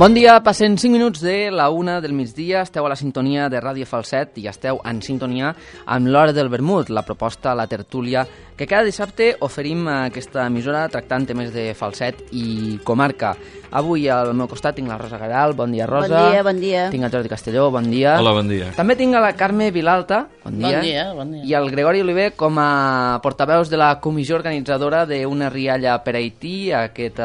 Bon dia, passen 5 minuts de la 1 del migdia, esteu a la sintonia de Ràdio Falset i esteu en sintonia amb l'Hora del Vermut, la proposta, la tertúlia, que cada dissabte oferim a aquesta emissora tractant temes de falset i comarca. Avui al meu costat tinc la Rosa Garal, bon dia Rosa. Bon dia, bon dia. Tinc el Jordi Castelló, bon dia. Hola, bon dia. També tinc a la Carme Vilalta, bon dia. Bon dia, bon dia. I el Gregori Oliver com a portaveus de la comissió organitzadora d'una rialla per Haití, aquest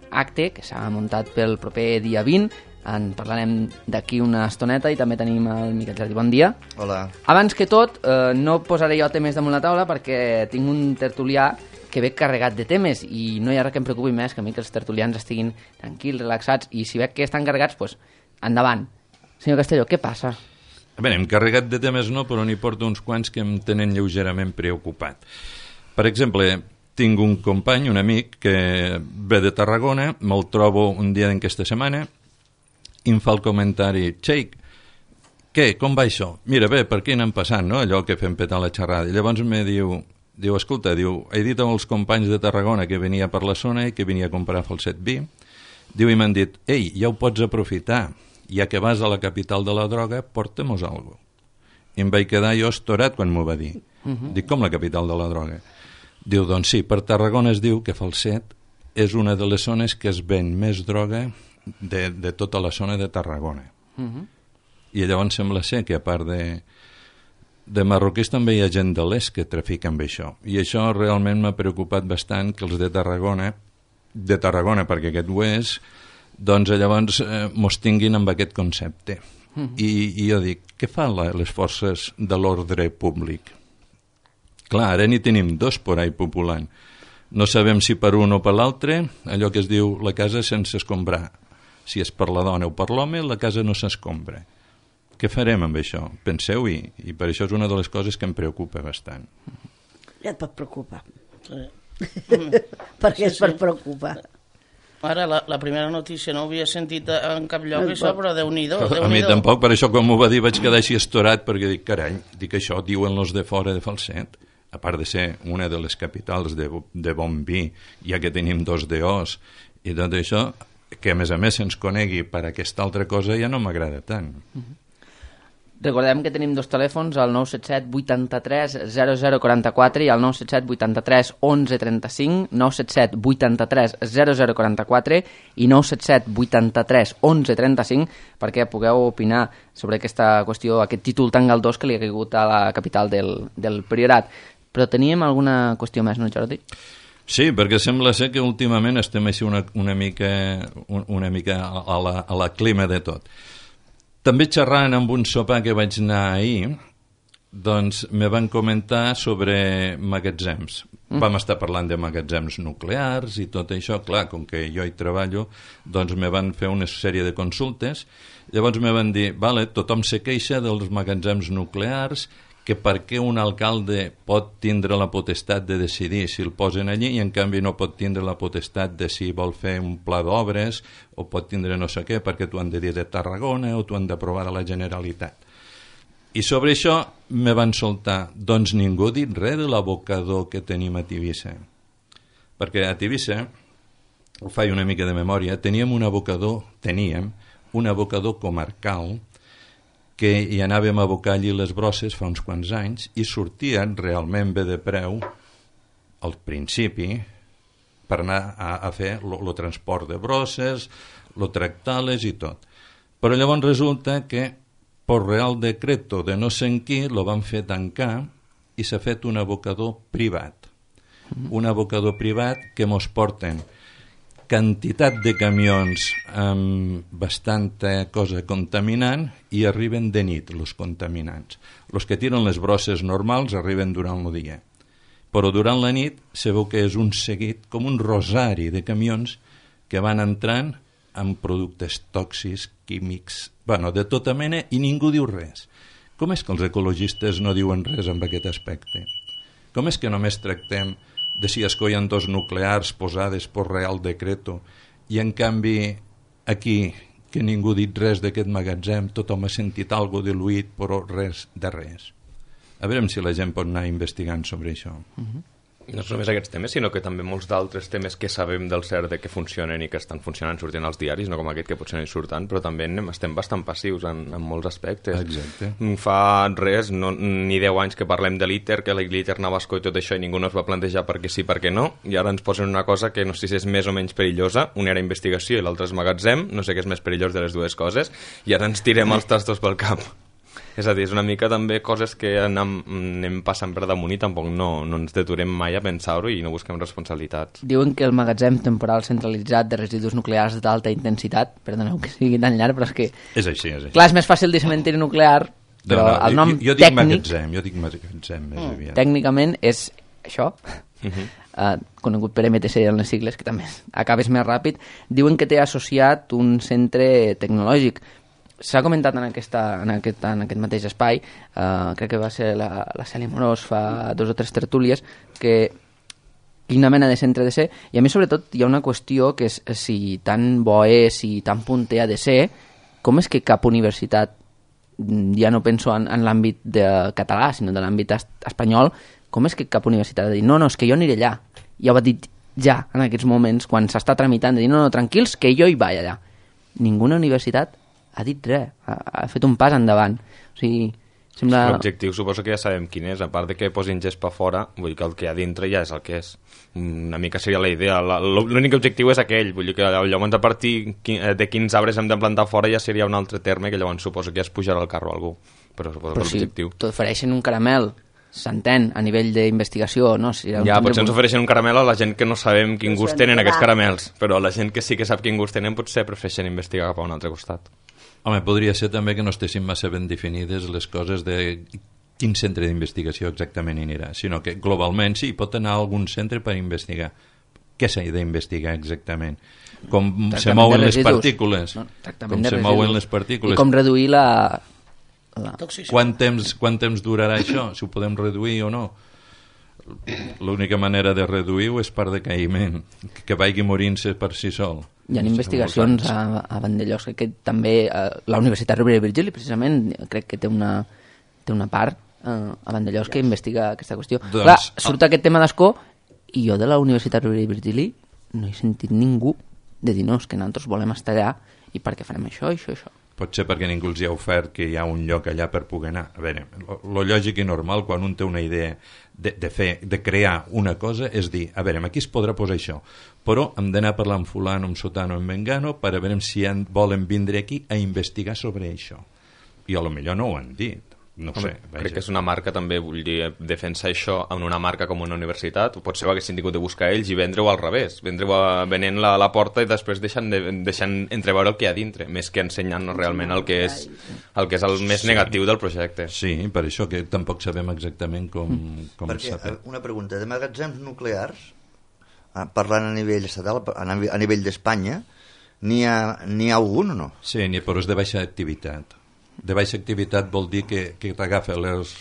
acte que s'ha muntat pel proper dia 20. En parlarem d'aquí una estoneta i també tenim el Miquel Jardí. Bon dia. Hola. Abans que tot, no posaré jo temes damunt la taula perquè tinc un tertulià que ve carregat de temes i no hi ha res que em preocupi més que a mi que els tertulians estiguin tranquils, relaxats, i si veig que estan carregats, doncs endavant. Senyor Castelló, què passa? A veure, hem carregat de temes no, però n'hi porto uns quants que em tenen lleugerament preocupat. Per exemple, tinc un company, un amic, que ve de Tarragona, me'l trobo un dia d'aquesta setmana i em fa el comentari: Xeic, què, com va això? Mira, bé, per què anem passant, no?, allò que fem petar la xerrada. I llavors me diu, escolta, he dit als companys de Tarragona que venia per la zona i que venia a comprar falset vi, i m'han dit, ei, ja ho pots aprofitar, ja que vas a la capital de la droga, porta-mos alguna cosa. I em vaig quedar jo estorat quan m'ho va dir. Dic, com la capital de la droga? Diu, doncs sí, per Tarragona es diu que Falset és una de les zones que es ven més droga de tota la zona de Tarragona. I llavors sembla ser que a part de marroquís també hi ha gent de l'est que trafica amb això. I això realment m'ha preocupat bastant, que els de Tarragona, perquè aquest ho és, doncs llavors mos tinguin amb aquest concepte. I jo dic, què fan les forces de l'ordre públic? Clar, ara n'hi tenim dos por ahí populant. No sabem si per un o per l'altre, allò que es diu la casa sense escombrar. Si és per la dona o per l'home, la casa no s'escombra. Què farem amb això? Penseu-hi, i per això és una de les coses que em preocupa bastant. Ja et pot preocupar. Sí. Perquè és per preocupar. Ara, la primera notícia no ho havia sentit en cap lloc, això, però Déu-n'hi-do. A mi tampoc, per això quan m'ho va dir vaig quedar així estorat, perquè dic, carai, això diuen els de fora de Falset, a part de ser una de les capitals de bon vi, ja que tenim 2 DOs i tot això, que a més se'ns conegui per aquesta altra cosa ja no m'agrada tant. Recordem que tenim 2 telèfons, el 977 83 0044 i el 977 83 11 35, 977 83 0044 i 977 83 11 35, perquè pugueu opinar sobre aquesta qüestió, aquest títol tan galdós que li ha caigut a la capital del Priorat. Però teníem alguna qüestió més, no, Jordi? Sí, perquè sembla ser que últimament estem així una mica a la clima de tot. També xerrant amb un sopar que vaig anar ahir, doncs me van comentar sobre magatzems. Vam estar parlant de magatzems nuclears i tot això. Clar, com que jo hi treballo, doncs me van fer una sèrie de consultes. Llavors me van dir, vale, tothom se queixa dels magatzems nuclears, que per què un alcalde pot tindre la potestat de decidir si el posen allí i en canvi no pot tindre la potestat de si vol fer un pla d'obres o pot tindre no sé què perquè t'ho han de dir de Tarragona o t'ho han d'aprovar a la Generalitat. I sobre això me van soltar, doncs ningú ha dit res de l'abocador que tenim a Tivissa. Perquè a Tivissa, ho faig una mica de memòria, teníem un abocador comarcal que hi anàvem a abocar allí les brosses fa uns quants anys i sortien realment bé de preu al principi per anar a fer el transport de brosses, tractar-les i tot. Però llavors resulta que per Real Decreto de no sé en qui lo van fer tancar i s'ha fet un abocador privat. Un abocador privat que mos porten quantitat de camions amb bastanta cosa contaminant i arriben de nit els contaminants. Els que tiren les brosses normals arriben durant el dia. Però durant la nit se veu que és un seguit, com un rosari de camions que van entrant amb productes tòxics, químics, de tota mena, i ningú diu res. Com és que els ecologistes no diuen res en aquest aspecte? Com és que només tractem de si escollen 2 nuclears posades per Real Decreto i en canvi aquí que ningú ha dit res d'aquest magatzem, tothom ha sentit alguna cosa diluït però res de res. A veure si la gent pot anar investigant sobre això. no és només aquests temes, sinó que també molts d'altres temes que sabem del cert que funcionen i que estan funcionant sortint als diaris, no com aquest que potser no hi surten, però també estem bastant passius en molts aspectes. Exacte. Fa res, ni 10 anys que parlem de l'ITER, que l'ITER anava a escó i tot això, i ningú no es va plantejar per què sí, per què no, i ara ens posen una cosa que no sé si és més o menys perillosa, una era investigació i l'altra és magatzem, no sé què és més perillós de les dues coses, i ara ens tirem els tastos pel cap. És a dir, és una mica també coses que anem passant per damunt i tampoc no ens deturem mai a pensar-ho i no busquem responsabilitats. Diuen que el magatzem temporal centralitzat de residus nuclears d'alta intensitat, perdoneu que sigui tan llarg, però és que... És així. Clar, és més fàcil dir cementiri nuclear, però el nom jo dic tècnic... jo dic magatzem més aviat. Tècnicament és això, conegut per MTC en les sigles, que també acabes més ràpid. Diuen que té associat un centre tecnològic. S'ha comentat en aquest mateix espai, crec que va ser la Cèlia Morós fa 2 o 3 tertúlies, que quina mena de centre ha de ser, i a mi sobretot hi ha una qüestió que és si tan bo és, si tan punter ha de ser, com és que cap universitat, ja no penso en l'àmbit català, sinó de l'àmbit espanyol, com és que cap universitat ha de dir, no, és que jo aniré allà, ja ho ha dit ja en aquests moments, quan s'està tramitant, de dir, no, tranquils, que jo hi vaig allà. Ninguna universitat ha dit res, ha fet un pas endavant. O sigui, sembla... L'objectiu suposo que ja sabem quin és, a part de que posin gespa fora, vull dir que el que hi ha dintre ja és el que és. Una mica seria la idea. L'únic objectiu és aquell, vull dir que llavors a partir de quins arbres hem de plantar fora ja seria un altre terme que llavors suposo que ja es pujarà al carro a algú. Però suposo que l'objectiu... si t'ofereixen un caramel, s'entén, a nivell d'investigació, no? Si ja, potser ens ofereixen un caramel a la gent que no sabem quin gust tenen aquests caramels, però la gent que sí que sap quin gust tenen potser prefereixen investigar cap a un altre costat. Home, podria ser també que no estessin massa ben definides les coses de quin centre d'investigació exactament hi anirà, sinó que globalment sí, pot anar a algun centre per investigar. Què s'ha d'investigar exactament? Com se mouen les partícules. No, com se mouen les partícules. I com reduir la... Quant temps durarà això? Si ho podem reduir o no? L'única manera de reduir-ho és per decaïment, que vagi morint-se per si sol. Hi ha investigacions a Vandellòs, que també la Universitat Rovira i Virgili, precisament, crec que té una part a Vandellòs que investiga aquesta qüestió. Doncs, clar, surt aquest tema d'escó i jo de la Universitat Rovira i Virgili no he sentit ningú de dir, no, és que nosaltres volem estar allà i perquè farem això. Potser perquè ningú els hi ha ofert que hi ha un lloc allà per poder anar. A veure, lo lògic i normal quan un té una idea de crear una cosa és dir, a veure, aquí es podrà posar això, però hem d'anar a parlar amb fulano, amb sotano, amb mengano per a veure si volen vindre aquí a investigar sobre això. I a lo millor no ho han dit. No sé, crec que és una marca també, vull dir, defensar això en una marca com una universitat, potser ho haguessin tingut de buscar ells i vendre-ho al revés, vendre-ho venent a la porta i després deixant entreveure el que hi ha dintre, més que ensenyant-nos realment el que és el més negatiu del projecte. Sí, per això que tampoc sabem exactament com s'ha fet. Una pregunta, de magatzems nuclears, parlant a nivell estatal, a nivell d'Espanya, n'hi ha algun o no? Sí, però és de baixa activitat. De baixa activitat vol dir que t'agafa les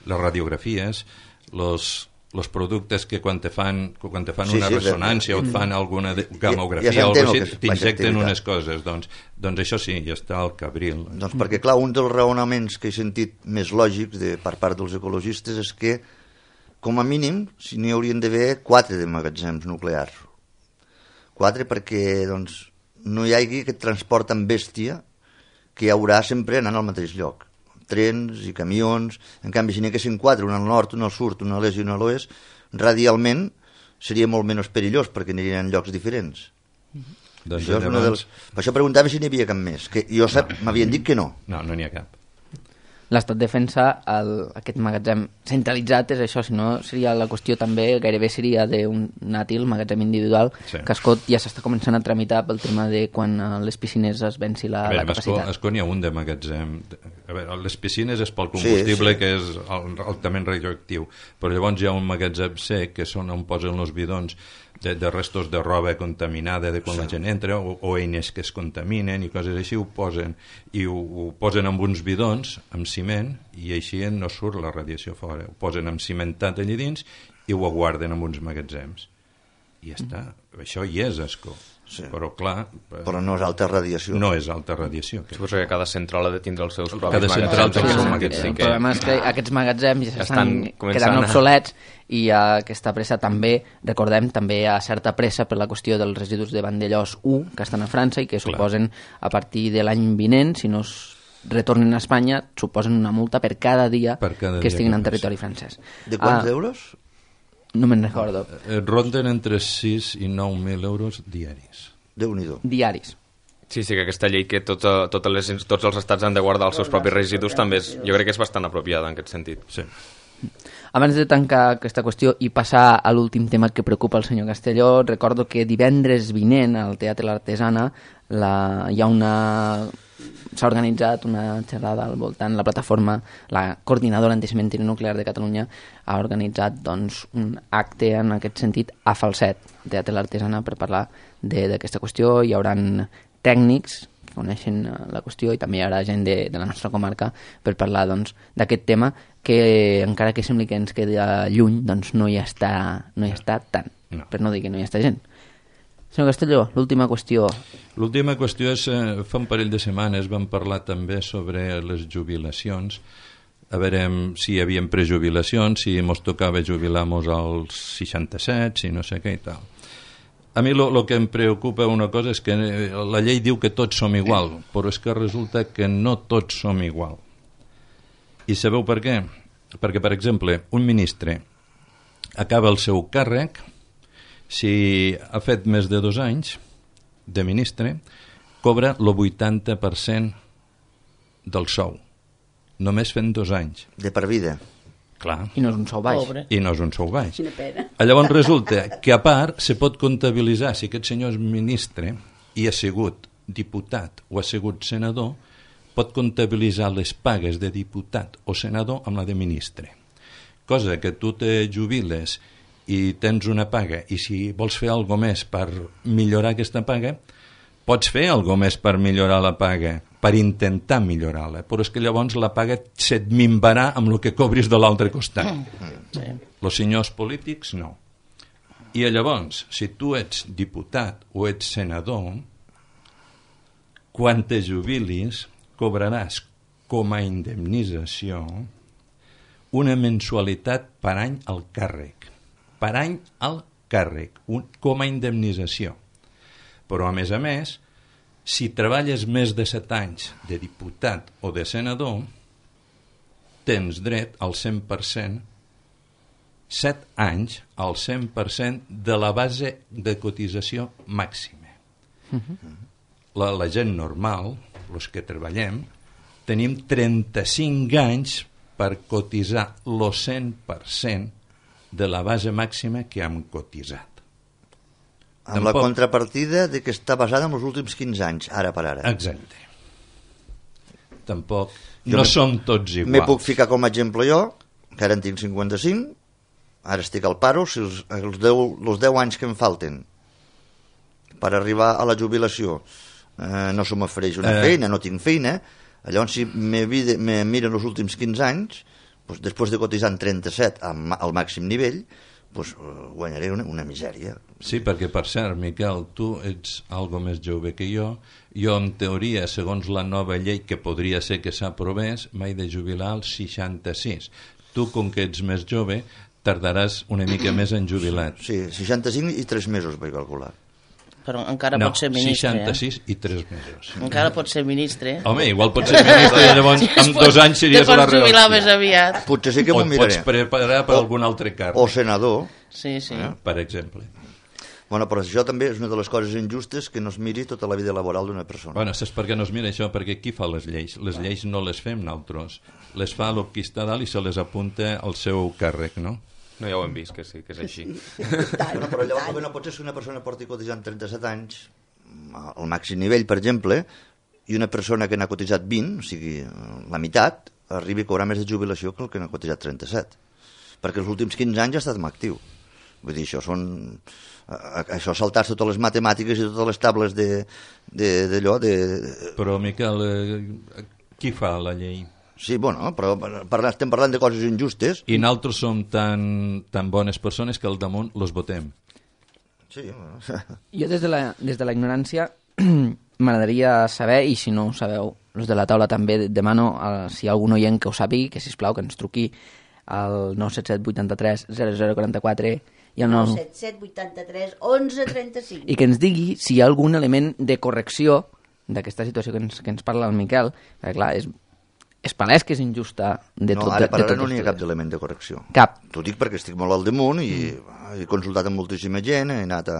radiografies, els productes que quan te fan una ressonància o et fan alguna gamografia o alguna cosa, t'injecten unes coses. Doncs això sí, ja està al cabril. Doncs perquè, clar, un dels raonaments que he sentit més lògics per part dels ecologistes és que, com a mínim, si n'hi haurien d'haver 4 de magatzems nuclears. 4 perquè doncs, no hi hagi aquest transport amb bèstia que hi haurà sempre anant al mateix lloc. Trens i camions. En canvi, si n'hi haguessin 4, un al nord, un al sud, un a l'est i un a l'oest, radialment seria molt menys perillós perquè anirien en llocs diferents. Doncs per això preguntava si n'hi havia cap més. Que jo m'havien dit que no. No n'hi ha cap. L'Estat defensa aquest magatzem centralitzat, és això, si no seria la qüestió també, gairebé seria d'un nàtil, magatzem individual, sí. Que a Escó ja s'està començant a tramitar pel tema de quan les piscines es venci la capacitat. A Escó n'hi ha un de magatzem. A veure, les piscines és pel combustible, sí. Que és altament radioactiu, però llavors hi ha un magatzem sec, que són on posen els bidons de restos de roba contaminada de quan la gent entra, o eines que es contaminen i coses així, ho posen amb uns bidons amb ciment i així no surt la radiació fora, ho posen amb cimentat allà dins i ho guarden en uns magatzems i ja està, això hi és Escó. Sí. Però, clar... Però no és alta radiació. No és alta radiació. Suposo que cada central ha de tindre els seus propis Cada central té el seu magatzem. El problema és que aquests magatzems ja estan estan començant quedant a- obsolets i aquesta pressa també, recordem, també hi ha certa pressa per la qüestió dels residus de Vandellós 1 que estan a França i que suposen a partir de l'any vinent, si no es retornen a Espanya, suposen una multa per cada dia Per cada que dia estiguin que en passi. territori francès. De quants euros? No me'n recordo. Ronden entre 6 i 9.000 euros diaris. Déu-n'hi-do. Diaris. Sí, que aquesta llei que tots els estats han de guardar els seus propis residus també jo crec que és bastant apropiada en aquest sentit. Sí. Abans de tancar aquesta qüestió i passar a l'últim tema que preocupa el senyor Castelló, recordo que divendres vinent al Teatre L'Artesana s'ha organitzat una xerrada al voltant, la plataforma, la coordinadora anticementiri nuclear de Catalunya ha organitzat doncs, un acte en aquest sentit a Falset, al Teatre L'Artesana, per parlar d'aquesta qüestió. Hi haurà tècnics que coneixen la qüestió i també hi haurà gent de la nostra comarca per parlar doncs, d'aquest tema que encara que sembli que ens quedi lluny doncs no hi està tant, No. per no dir que no hi està gent. Senyor Castelló, l'última qüestió. L'última qüestió és, fa un parell de setmanes vam parlar també sobre les jubilacions, a veure si hi havia prejubilacions, si mos tocava jubilar-nos als 67, si no sé què i tal. A mi el que em preocupa una cosa és que la llei diu que tots som igual, però és que resulta que no tots som igual. I sabeu per què? Perquè, per exemple, un ministre acaba el seu càrrec, si ha fet més de 2 anys de ministre, cobra el 80% del sou, només fent 2 anys. De per vida. Clar. I no és un sou baix. Pobre. I no és un sou baix. Quina pena. Llavors resulta que a part se pot comptabilitzar si aquest senyor és ministre i ha sigut diputat o ha sigut senador, pot comptabilitzar les pagues de diputat o senador amb la de ministre. Cosa que tu te jubiles i tens una paga i si vols fer alguna més per millorar aquesta paga, pots fer alguna més per millorar la paga, per intentar millorar-la, però és que llavors la paga se't minvarà amb el que cobris de l'altre costat. Els senyors polítics no. I llavors, si tu ets diputat o ets senador, quan te jubilis cobraràs com a indemnització una mensualitat per any al càrrec. Per any al càrrec, com a indemnització. Però, a més, si treballes més de 7 anys de diputat o de senador, tens dret al 100%, 7 anys al 100% de la base de cotització màxima. La gent normal, els que treballem, tenim 35 anys per cotitzar el 100% de la base màxima que hem cotitzat. Amb la contrapartida de que està basada en els últims 15 anys, ara per ara. Exacte. Tampoc no som tots iguals. Me puc ficar com a exemple jo, que ara en tinc 55, ara estic al paro, si els 10 anys que em falten per arribar a la jubilació no se m'ofereix una feina, no tinc feina, llavors si me miren els últims 15 anys, doncs, després de cotitzar en 37 al màxim nivell, doncs, guanyaré una misèria. Sí, perquè per cert, Miquel, tu ets algo més jove que jo en teoria, segons la nova llei que podria ser que s'aprovés, m'he de jubilar als 66. Tu, com que ets més jove, tardaràs una mica més en jubilar. Sí, 65 i 3 mesos vaig calcular. Però encara pot ser ministre. 66 i 3 mesos. Encara pot ser ministre. Home, igual pot ser ministre i llavors amb 2 anys series a la Te pots jubilar més reelecció. aviat. Potser sí que O m'ho et pots miraré. preparar per algun altre càrrec, O senador. Sí, sí. per exemple. Bueno, però això també és una de les coses injustes, que no es miri tota la vida laboral d'una persona. Bueno, saps per què no es mira això? Perquè qui fa les lleis? Les lleis no les fem nosaltres. Les fa el qui està dalt i se les apunta al seu càrrec, no? No, ja ho hem vist, que sí, que és així. Bueno, però llavors el que no pot ser que una persona porti cotitzant 37 anys al màxim nivell, per exemple, i una persona que n'ha cotitzat 20, o sigui, la meitat, arribi a cobrar més de jubilació que el que n'ha cotitzat 37. Perquè els últims 15 anys ja ha estat en actiu. Vull dir, això saltar totes les matemàtiques i totes les tables d'allò de... Però, Miquel, qui fa la llei? Sí, bueno, però estem parlant de coses injustes. I nosaltres som tan bones persones que al damunt los votem. Sí, bueno. Jo des de la ignorància m'agradaria saber, i si no ho sabeu, els de la taula també demano, si hi ha algun oient que ho sàpigui, que sisplau que ens truqui al 977 83 0044 i al 977 83 11 35. I que ens digui si hi ha algun element de correcció d'aquesta situació que ens parla el Miquel, perquè clar, és palès que és injusta de tot. No, ara per ara no n'hi ha cap element de correcció. Cap. T'ho dic perquè estic molt al damunt i he consultat amb moltíssima gent, he anat a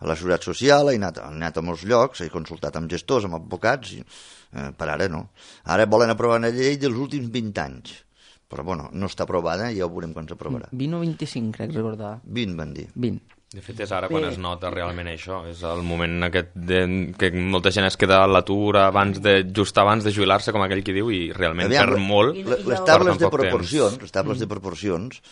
la Seguretat Social, he anat a molts llocs, he consultat amb gestors, amb advocats, i per ara no. Ara volen aprovar una llei dels últims 20 anys, però bueno, no està aprovada i ja ho veurem quan s'aprovarà. 20 o 25, crec recordar. 20 van dir. 20. De fet, és ara quan es nota realment això. És el moment aquest que molta gent es queda a l'atur just abans de jubilar-se, com aquell qui diu, i realment perd molt. Les tables de proporcions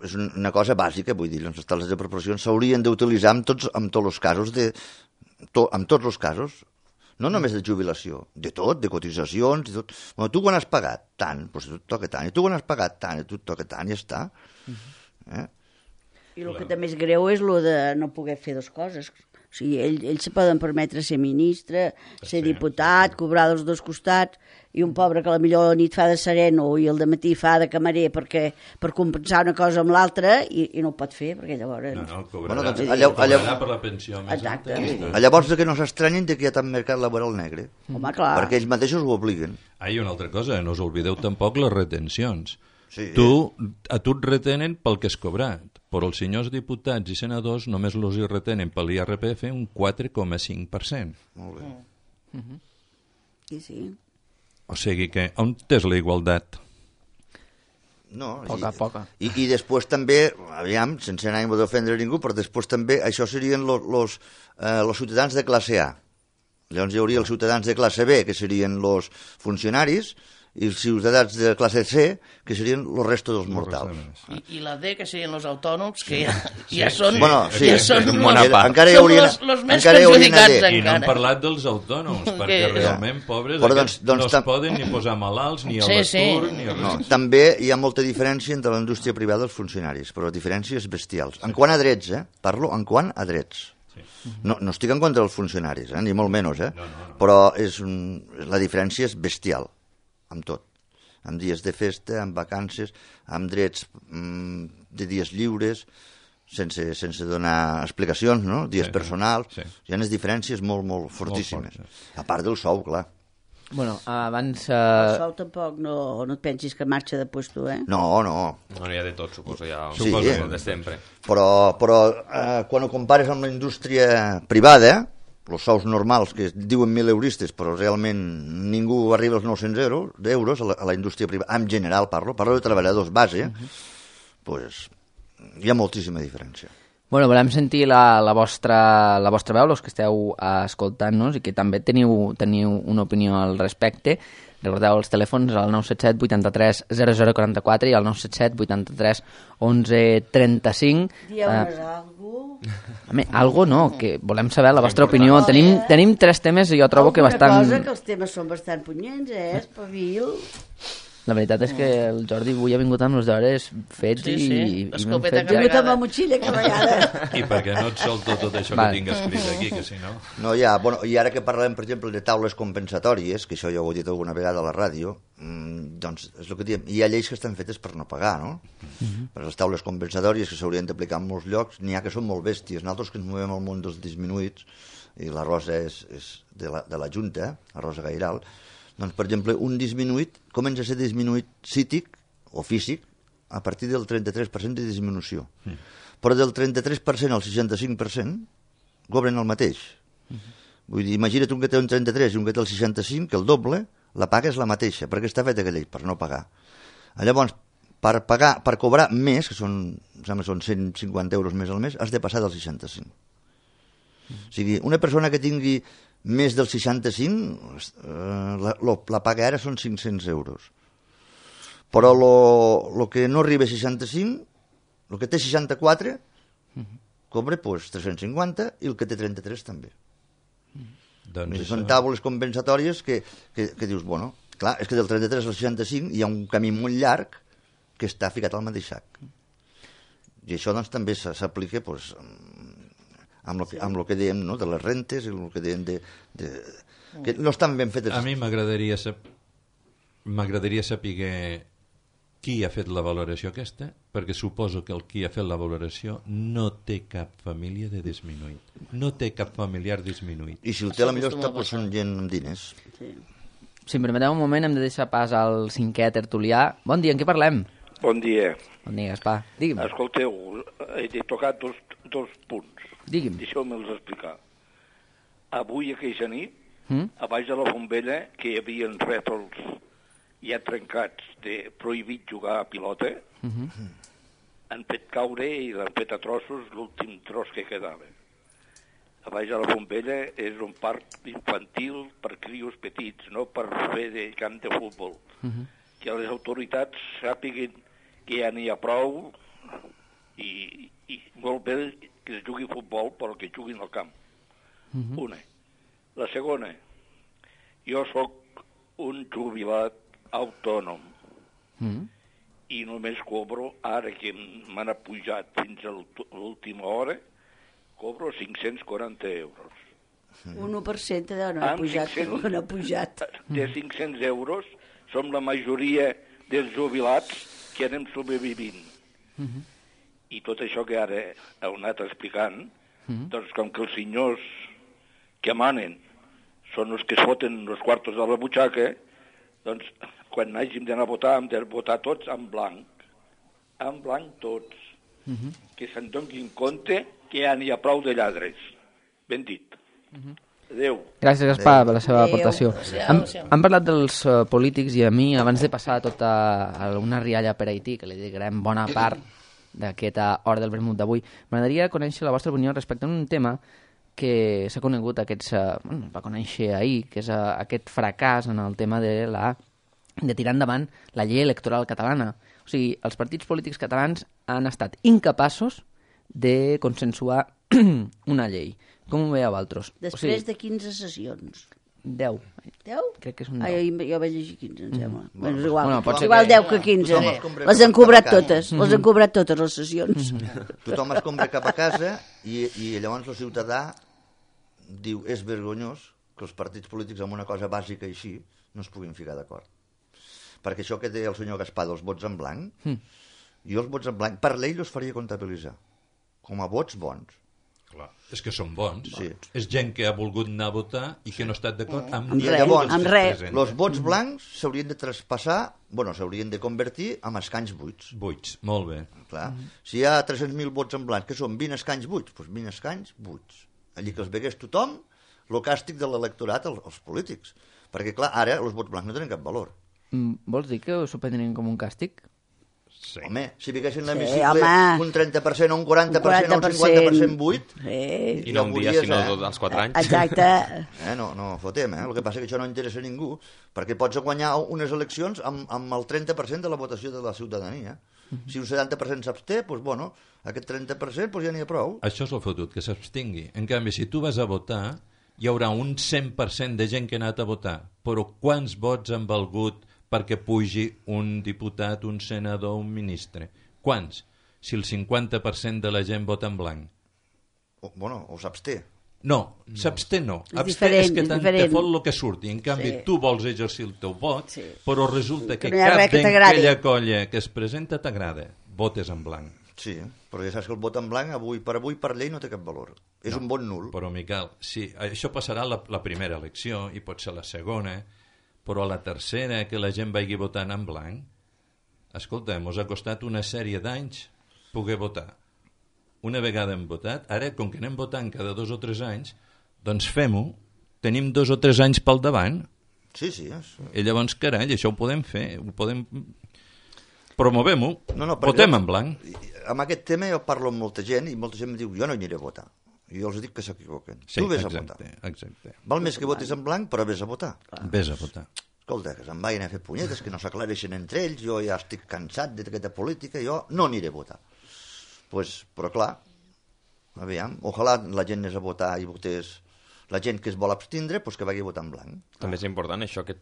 és una cosa bàsica, vull dir, les tables de proporcions s'haurien d'utilitzar en tots els casos, en tots els casos, no només de jubilació, de tot, de cotitzacions, de tot. Bueno, tu quan has pagat tant, doncs tu et toca tant, i tu quan has pagat tant, i tu et toca tant, i ja està. I el que també és greu és el de no poder fer dues coses. O sigui, ells se poden permetre ser ministre, ser diputat, cobrar dels dos costats, i un pobre que a la millor la nit fa de sereno i el dematí fa de camarer per compensar una cosa amb l'altra i no ho pot fer, perquè llavors... No, cobrarà per la pensió més exacte. alta. Llavors que no s'estranyin que hi ha tant mercat laboral negre. Home, clar. Perquè ells mateixos ho obliguen. I una altra cosa, no us oblideu tampoc les retencions. Sí. A tu et retenen pel que has cobrat, però els senyors diputats i senadors només els hi retenen per l'IRPF un 4,5%. Molt bé. Sí. O sigui que, on és la igualtat? No, Poca. I després també, aviam, sense anar a d'ofendre ningú, però després també això serien els ciutadans de classe A. Llavors hi hauria els ciutadans de classe B, que serien els funcionaris, i els ciutadans de classe C, que serien el resto dels mortals. I la D, que serien els autònoms, que ja són... Bueno, sí, ja són encara hi hauria els més perjudicats I no hem encara. parlat dels autònoms, perquè realment, pobres, no es poden ni posar malalts, ni a l'atur, ni a res. També hi ha molta diferència entre la indústria privada i els funcionaris, però diferències bestials. En quant a drets, parlo en quant a drets. No estic en contra dels funcionaris, ni molt menys, però la diferència és bestial. Amb tot, amb dies de festa, amb vacances, amb drets de dies lliures, sense donar explicacions, no? Dies personals, hi ha unes diferències molt fortíssimes. A part del sou, clar. Bueno, abans... El sou tampoc no et pensis que marxa de puesto, No. No hi ha de tot, suposo, de sempre. Però quan ho compares amb la indústria privada, els sous normals, que diuen 1.000 euristes, però realment ningú arriba als 900 euros a la indústria privada, en general parlo de treballadors base, doncs hi ha moltíssima diferència. Bueno, volem sentir la vostra veu, els que esteu escoltant-nos, i que també teniu una opinió al respecte. Recordeu els telèfons al 977 83 0044 i al 977 83 11 35. Dieu-nos algú? Algo no, que volem saber la vostra opinió. Tenim 3 temes i jo trobo que bastant... Alguna cosa, que els temes són bastant punyents, espavil. La veritat és que el Jordi avui ha vingut amb els deures fets i l'escopeta carregada. Vingut amb la motxilla carregada. I perquè no et solto tot això que tinc escrit aquí, que si no... No, i ara que parlem, per exemple, de taules compensatòries, que això ja ho he dit alguna vegada a la ràdio, doncs és el que diem, hi ha lleis que estan fetes per no pagar, no? Per les taules compensatòries que s'haurien d'aplicar en molts llocs, n'hi ha que són molt bèsties. Nosaltres que ens movem al món dels disminuïts, i la Rosa és de la Junta, la Rosa Gairal, doncs, per exemple, un disminuït comença a ser disminuït psíquic o físic a partir del 33% de disminució. Però del 33% al 65% cobren el mateix. Vull dir, imagina't un que té un 33 i un que té el 65, que el doble, la paga és la mateixa, perquè està feta aquella llei, per no pagar. Llavors, per cobrar més, que són 150 euros més al mes, has de passar del 65. O sigui, una persona que tingui més del 65, la paga ara són 500 euros. Però el que no arriba a 65, el que té 64, cobra 350 i el que té 33 també. Doncs són taules compensatòries que dius, bueno, clar, és que del 33 al 65 hi ha un camí molt llarg que està ficat al mateix sac. I això doncs també s'aplica amb el que dèiem, no?, de les rentes, el que dèiem que no estan ben fetes. A mi m'agradaria saber qui ha fet la valoració aquesta, perquè suposo que el qui ha fet la valoració no té cap família de disminuït. No té cap familiar disminuït. I si el té, potser està posant gent amb diners. Si em permeteu un moment, hem de deixar pas al cinquè tertulià. Bon dia, en què parlem? Bon dia. Bon dia, Gaspar. Digui'm. Escolteu, he tocat dos punts. Digui'm. Deixeu-me'ls explicar. Avui, aquella nit, a baix de la bombella, que hi havia rètols ja trencats de prohibit jugar a pilota, han fet caure i l'han fet a trossos l'últim tros que quedava. A baix de la bombella és un parc infantil per crios petits, no per fer de camp de futbol. Que les autoritats sàpiguen que ja n'hi ha prou i molt bé que es jugui futbol, però que juguin al camp. Una. La segona, jo sóc un jubilat autònom i només cobro, ara que m'han apujat fins a l'última hora, cobro 540 euros. Un 1% no ha pujat. De 500 euros som la majoria dels jubilats que anem sobrevivint. I tot això que ara heu anat explicant, doncs com que els senyors que manen són els que es foten els quartos de la butxaca, doncs quan hàgim d'anar a votar hem de votar tots en blanc tots. Que se'n donin compte que ja n'hi ha prou de lladres. Ben dit. Adéu. Gràcies, Gaspar, per la seva aportació. Han parlat dels polítics i a mi, abans de passar tota una rialla per Haití, que li dedicarem bona part d'aquesta hora del vermut d'avui, m'agradaria conèixer la vostra opinió respecte a un tema que s'ha conegut, va conèixer ahir, que és aquest fracàs en el tema de tirar endavant la llei electoral catalana. O sigui, els partits polítics catalans han estat incapaços de consensuar una llei. Com ho veieu altres? Després de 15 sessions. 10. 10? Crec que és un 10. Jo vaig llegir 15, em sembla. Bueno, és igual. Pot ser Igual 10 que 15. Les han cobrat totes. Les han cobrat totes les sessions. Tothom es compra cap a casa i llavors el ciutadà diu, és vergonyós que els partits polítics amb una cosa bàsica així no es puguin ficar d'acord. Perquè això que deia el senyor Gaspar dels vots en blanc, jo els vots en blanc, per llei els faria comptabilitzar com a vots bons. Clar, és que són bons. Sí. És gent que ha volgut anar a votar i que no ha estat d'acord amb res. Els vots blancs s'haurien de traspassar, s'haurien de convertir en escanys buits. Buits, molt bé. Clar. Si hi ha 300.000 vots en blanc, que són 20 escanys buits, doncs 20 escanys buits. Allí que els vegués tothom, el càstig de l'electorat als polítics. Perquè, clar, ara els vots blancs no tenen cap valor. Vols dir que s'ho prendrien com un càstig? Sí. Home, si fiquessin l'hemicicle un 30% o un 40% o un 50% buit... I no un dia, sinó als 4 anys. Exacte. No fotem, El que passa és que això no interessa a ningú, perquè pots guanyar unes eleccions amb el 30% de la votació de la ciutadania. Si un 70% s'absté, doncs, aquest 30% ja n'hi ha prou. Això és el fotut, que s'abstingui. En canvi, si tu vas a votar, hi haurà un 100% de gent que ha anat a votar, però quants vots han valgut perquè pugi un diputat, un senador, un ministre? Quants? Si el 50% de la gent vota en blanc. O s'absté. No, s'absté no. Absté és que tant te fot el que surti. En canvi, tu vols exercir el teu vot, però resulta que cap d'aquella colla que es presenta t'agrada. Votes en blanc. Sí, però ja saps que el vot en blanc avui per llei no té cap valor. És un vot nul. Però, Miquel, sí, això passarà la primera elecció i pot ser la segona, però a la tercera, que la gent vagi votant en blanc, escolta, mos ha costat una sèrie d'anys poder votar. Una vegada hem votat, ara, com que anem votant cada 2 o 3 anys, doncs fem-ho, tenim 2 o 3 anys pel davant. Sí. I llavors, carai, això ho podem fer, promovem-ho, votem en blanc. Amb aquest tema jo parlo amb molta gent i molta gent em diu, jo no hi aniré a votar. I jo els dic que s'equivoquen. Sí, tu vés a votar. Exacte. Val més que votis en blanc, però vés a votar. Vés a votar. Escolta, que se'n vagin a fer punyetes, que no s'aclareixen entre ells, jo ja estic cansat d'aquesta política, jo no aniré a votar. Però clar, aviam, ojalà la gent anés a votar i votés La gent que es vol abstindre, doncs que vagi a votar en blanc. També és important això, que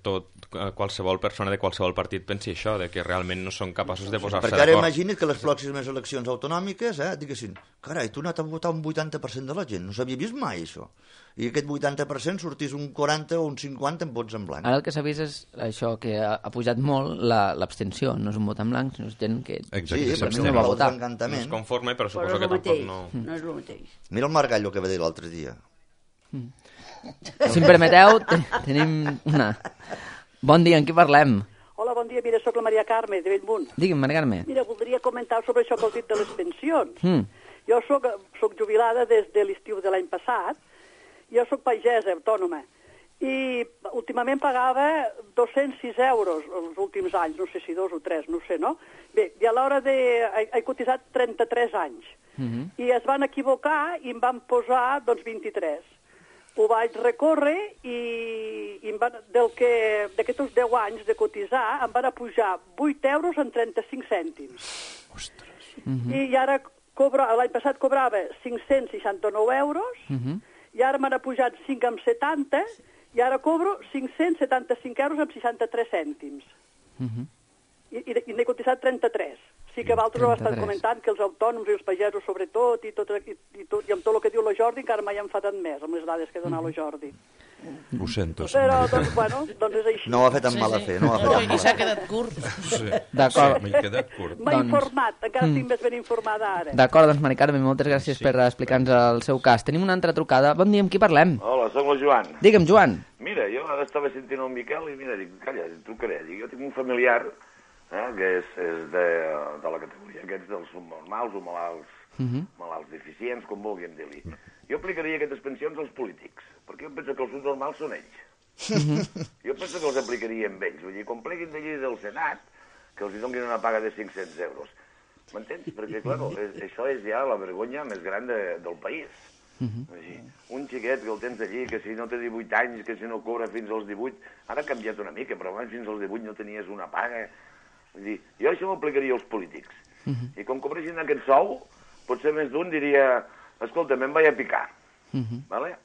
qualsevol persona de qualsevol partit pensi això, de que realment no són capaços de posar-se Perquè ara d'acord. imagina't que les pròximes eleccions autonòmiques diguessin, carai, tu has anat a votar un 80% de la gent, no s'havia vist mai això. I aquest 80% sortís un 40 o un 50 en vots en blanc. Ara el que s'ha vist és això, que ha pujat molt l'abstenció. No és un vot en blanc, sinó és gent que... Sí, però no va votar. No es conforme, però Però suposo és que el tampoc mateix, no... no és el mateix. Mira el Margallo que va dir l'altre dia. Si em permeteu, tenim una... Bon dia, en qui parlem? Hola, bon dia. Mira, sóc la Maria Carme, de Bellmunt. Digue'm, Maria Carme. Mira, voldria comentar sobre això que heu dit de les pensions. Jo soc jubilada des de l'estiu de l'any passat. Jo soc pagesa autònoma. I últimament pagava 206 euros els últims anys, no sé si 2 o 3, no sé, no? Bé, i a l'hora de... He cotitzat 33 anys. I es van equivocar i em van posar, doncs, 23. Ho vaig recórrer i d'aquests 10 anys de cotitzar em van pujar 8 euros en 35 cèntims. Ostres. I ara l'any passat cobrava 569 euros i ara m'han pujat 5 amb 70 i ara cobro 575 euros amb 63 cèntims. I n'he cotitzat 33. Sí que vosaltres ho estat comentant, que els autònoms i els pagesos sobretot, i amb tot el que diu la Jordi, encara m'he enfadat més amb les dades que ha donat la Jordi. Ho sento. Però, doncs, bueno, doncs és així. No ho ha fet amb mala fe, no ho ha fet amb I mala s'ha fe. quedat curt. Sí, D'acord. m'he quedat curt. M'ha informat, encara estic més ben informada ara. D'acord, doncs, Mari Carme, moltes gràcies per explicar-nos el seu cas. Tenim una altra trucada. Bon dia, amb qui parlem? Hola, soc el Joan. Digue'm, Joan. Mira, jo ara estava sentint el Miquel i mira, dic, calla, trucaré. Dic, jo tinc un familiar que és de la categoria aquests dels subnormals o malalts deficients, com vulguem dir-li. Jo aplicaria aquestes pensions als polítics, perquè jo penso que els subnormals són ells. Jo penso que els aplicaria amb ells. Vull dir, quan pleguin d'allí del Senat, que els donin una paga de 500 euros. M'entens? Perquè, clar, això és ja la vergonya més gran del país. Un xiquet que el tens allí, que si no té 18 anys, que si no cobra fins als 18... Ara ha canviat una mica, però abans fins als 18 no tenies una paga. Vull dir, jo això m'ho aplicaria als polítics. I com cobressin aquest sou, potser més d'un diria, escolta, me'n vaig a picar. Vale?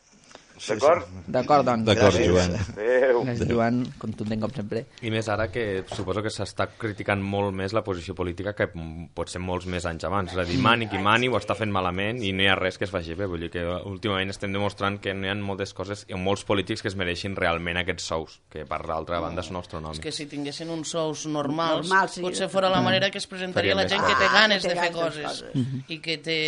D'acord? D'acord, doncs. D'acord, Joan. Adéu. Gràcies, Joan, contundent com sempre. I més ara que suposo que s'està criticant molt més la posició política que pot ser molts més anys abans. És a dir, mani qui mani ho està fent malament i no hi ha res que es faci bé. Vull dir que últimament estem demostrant que no hi ha moltes coses i molts polítics que es mereixin realment aquests sous, que per l'altra banda són astronòmics. És que si tinguessin uns sous normals, sí. potser fora la manera que es presentaria la gent que té ganes de fer coses i que té...